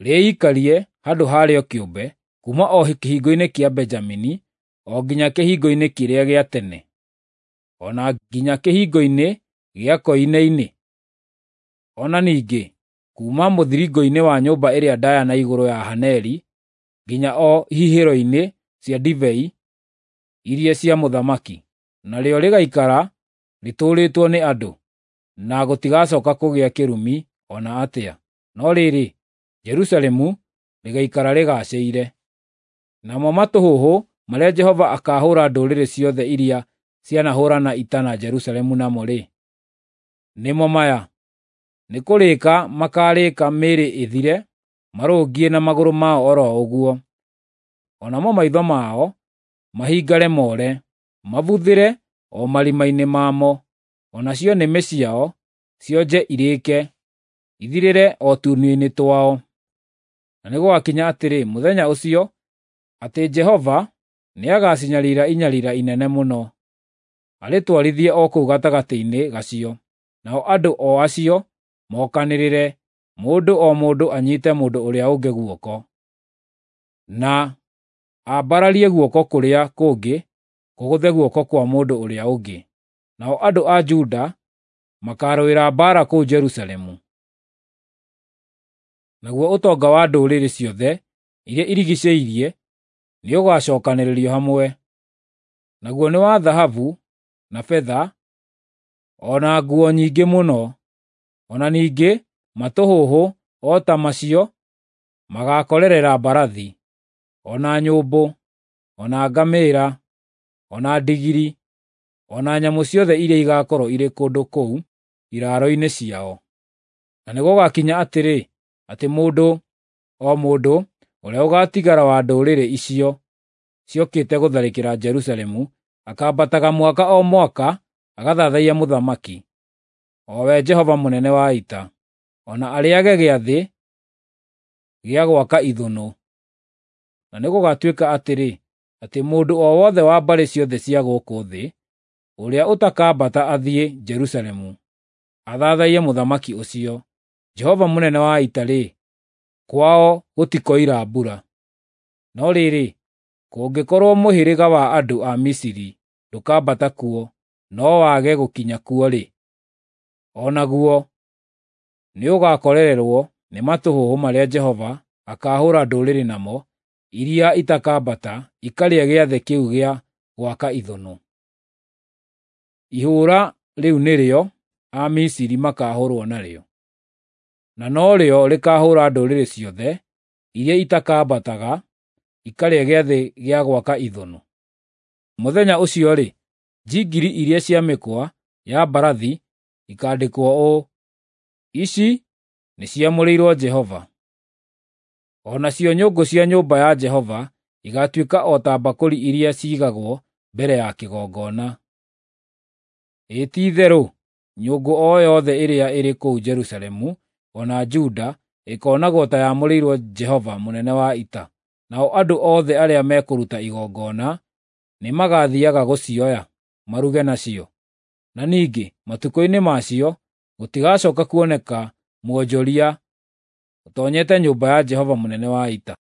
S1: rĩĩikarie handũ harĩo kĩũmbe, kuuma o kĩhingo-inĩ kĩa Benjamini o nginya kĩhingo-inĩ kĩrĩa gĩa tene, o na nginya kĩhingo-inĩ gĩa koine-inĩ, o na ningĩ kuuma mũthiringo-inĩ wa nyũmba ĩrĩa ndaaya na igũrũ ya Haneli nginya o hihĩro-inĩ cia ndibei iria cia mũthamaki. Narĩo rĩgaikara rĩtũũrĩtwo nĩ andũ, na gũtigacoka kũgĩa kĩrumi o na atĩa. No rĩrĩ, Jerusalemu rĩgaikara rĩgaacĩire. Namo matũhũhũ marĩa Jehova akaahũũra ndũrĩrĩ ciothe iria cianahũũrana ita na Jerusalemu namo-rĩ, nĩmo maya: nĩ kũrĩĩka makaarĩĩka mĩĩrĩ ĩthire, marũngiĩ na magũrũ mao o ro ũguo, o namo maitho mao mahingare more, mabuthĩre o marima-inĩ mamo, o nacio nĩmĩ ciao cionje irĩĩke, ithirĩre o tũnua-inĩ twao. Na nĩgũgakinya atĩrĩ mũthenya ũcio, atĩ Jehova nĩagacinyarira inyarira inene mũno, arĩtwarithie o kũu gatagatĩ-inĩ gacio, nao andũ o acio mokanĩrĩre, mũndũ o mũndũ anyiite mũndũ ũrĩa ũngĩ guoko, na ambararie guoko kũrĩa kũngĩ kũgũthe guoko kwa mũndũ ũrĩa ũngĩ. Nao andũ a Juda makaarũĩra mbaara kũu Jerusalemu. Naguo ũtonga wa ndũrĩrĩ ciothe iria irigiicĩirie nĩũgacookanĩrĩrio hamwe, naguo nĩ wa thahabu na betha, o na nguo nyingĩ mũno. O na ningĩ matũhũhũ o ta macio magaakorerera mbarathi, o na nyũmbũ, o na ngamĩĩra, o na ndigiri, o na nyamũ ciothe iria igaakorwo irĩ kũndũ kũu iraaro-inĩ ciao. Na nĩgũgakinya atĩrĩ, atĩ mũndũ o mũndũ ũrĩa ũgaatigara wa ndũrĩrĩ icio ciokĩte gũtharĩkĩra Jerusalemu akaambataga mwaka o mwaka agathathaiye Mũthamaki, o we Jehova mũnene wa ita, o na arĩĩage gĩathĩ gĩa gwaka ithũnũ. Na nĩgũgatuĩka atĩrĩ, atĩ mũndũ o wothe wa mbarĩ ciothe cia gũkũ thĩ ũrĩa ũtakambata athiĩ Jerusalemu athathaiye Mũthamaki ũcio, Jehova mũnene wa ita-rĩ, kwao gũtikoira mbura. No rĩrĩ, kũngĩkorwo mũhĩrĩga wa andũ a Misiri ndũkambata kuo no wage gũkinya kuo-rĩ, o naguo nĩũgakorererwo nĩ matũhũhũ marĩa Jehova akaahũũra ndũrĩrĩ namo iria itakambata ikarĩe gĩathĩ kĩu gĩa gwaka ithũnũ. Ihũũra rĩu nĩrĩo Amisiri makaahũũrwo narĩo, na norĩo rĩkaahũũra ndũrĩrĩ ciothe iria itakambataga ikarĩe gĩathĩ gĩa gwaka ithũnũ. Mũthenya ũcio-rĩ, njingiri iria cia mĩkwa ya mbarathi ikaandĩkwo ũũ: ICI NĨCIAMŨRĨIRWO JEHOVA. O nacio nyũngũ cia nyũmba ya Jehova igaatuĩka o ta mbakũri iria ciigagwo mbere ya kĩgongona. Ĩ ti-itherũ nyũngũ o yothe ĩrĩa ĩrĩ kũu Jerusalemu o na Juda ĩkoonagwo ta yamũrĩirwo Jehova mũnene wa ita, nao andũ othe arĩa mekũruta igongona nĩmagathiiaga gũcioya maruge nacio. Na ningĩ matukũ-inĩ macio gũtigacooka kuoneka mwonjoria ũtoonyete nyũmba ya Jehova mũnene wa ita.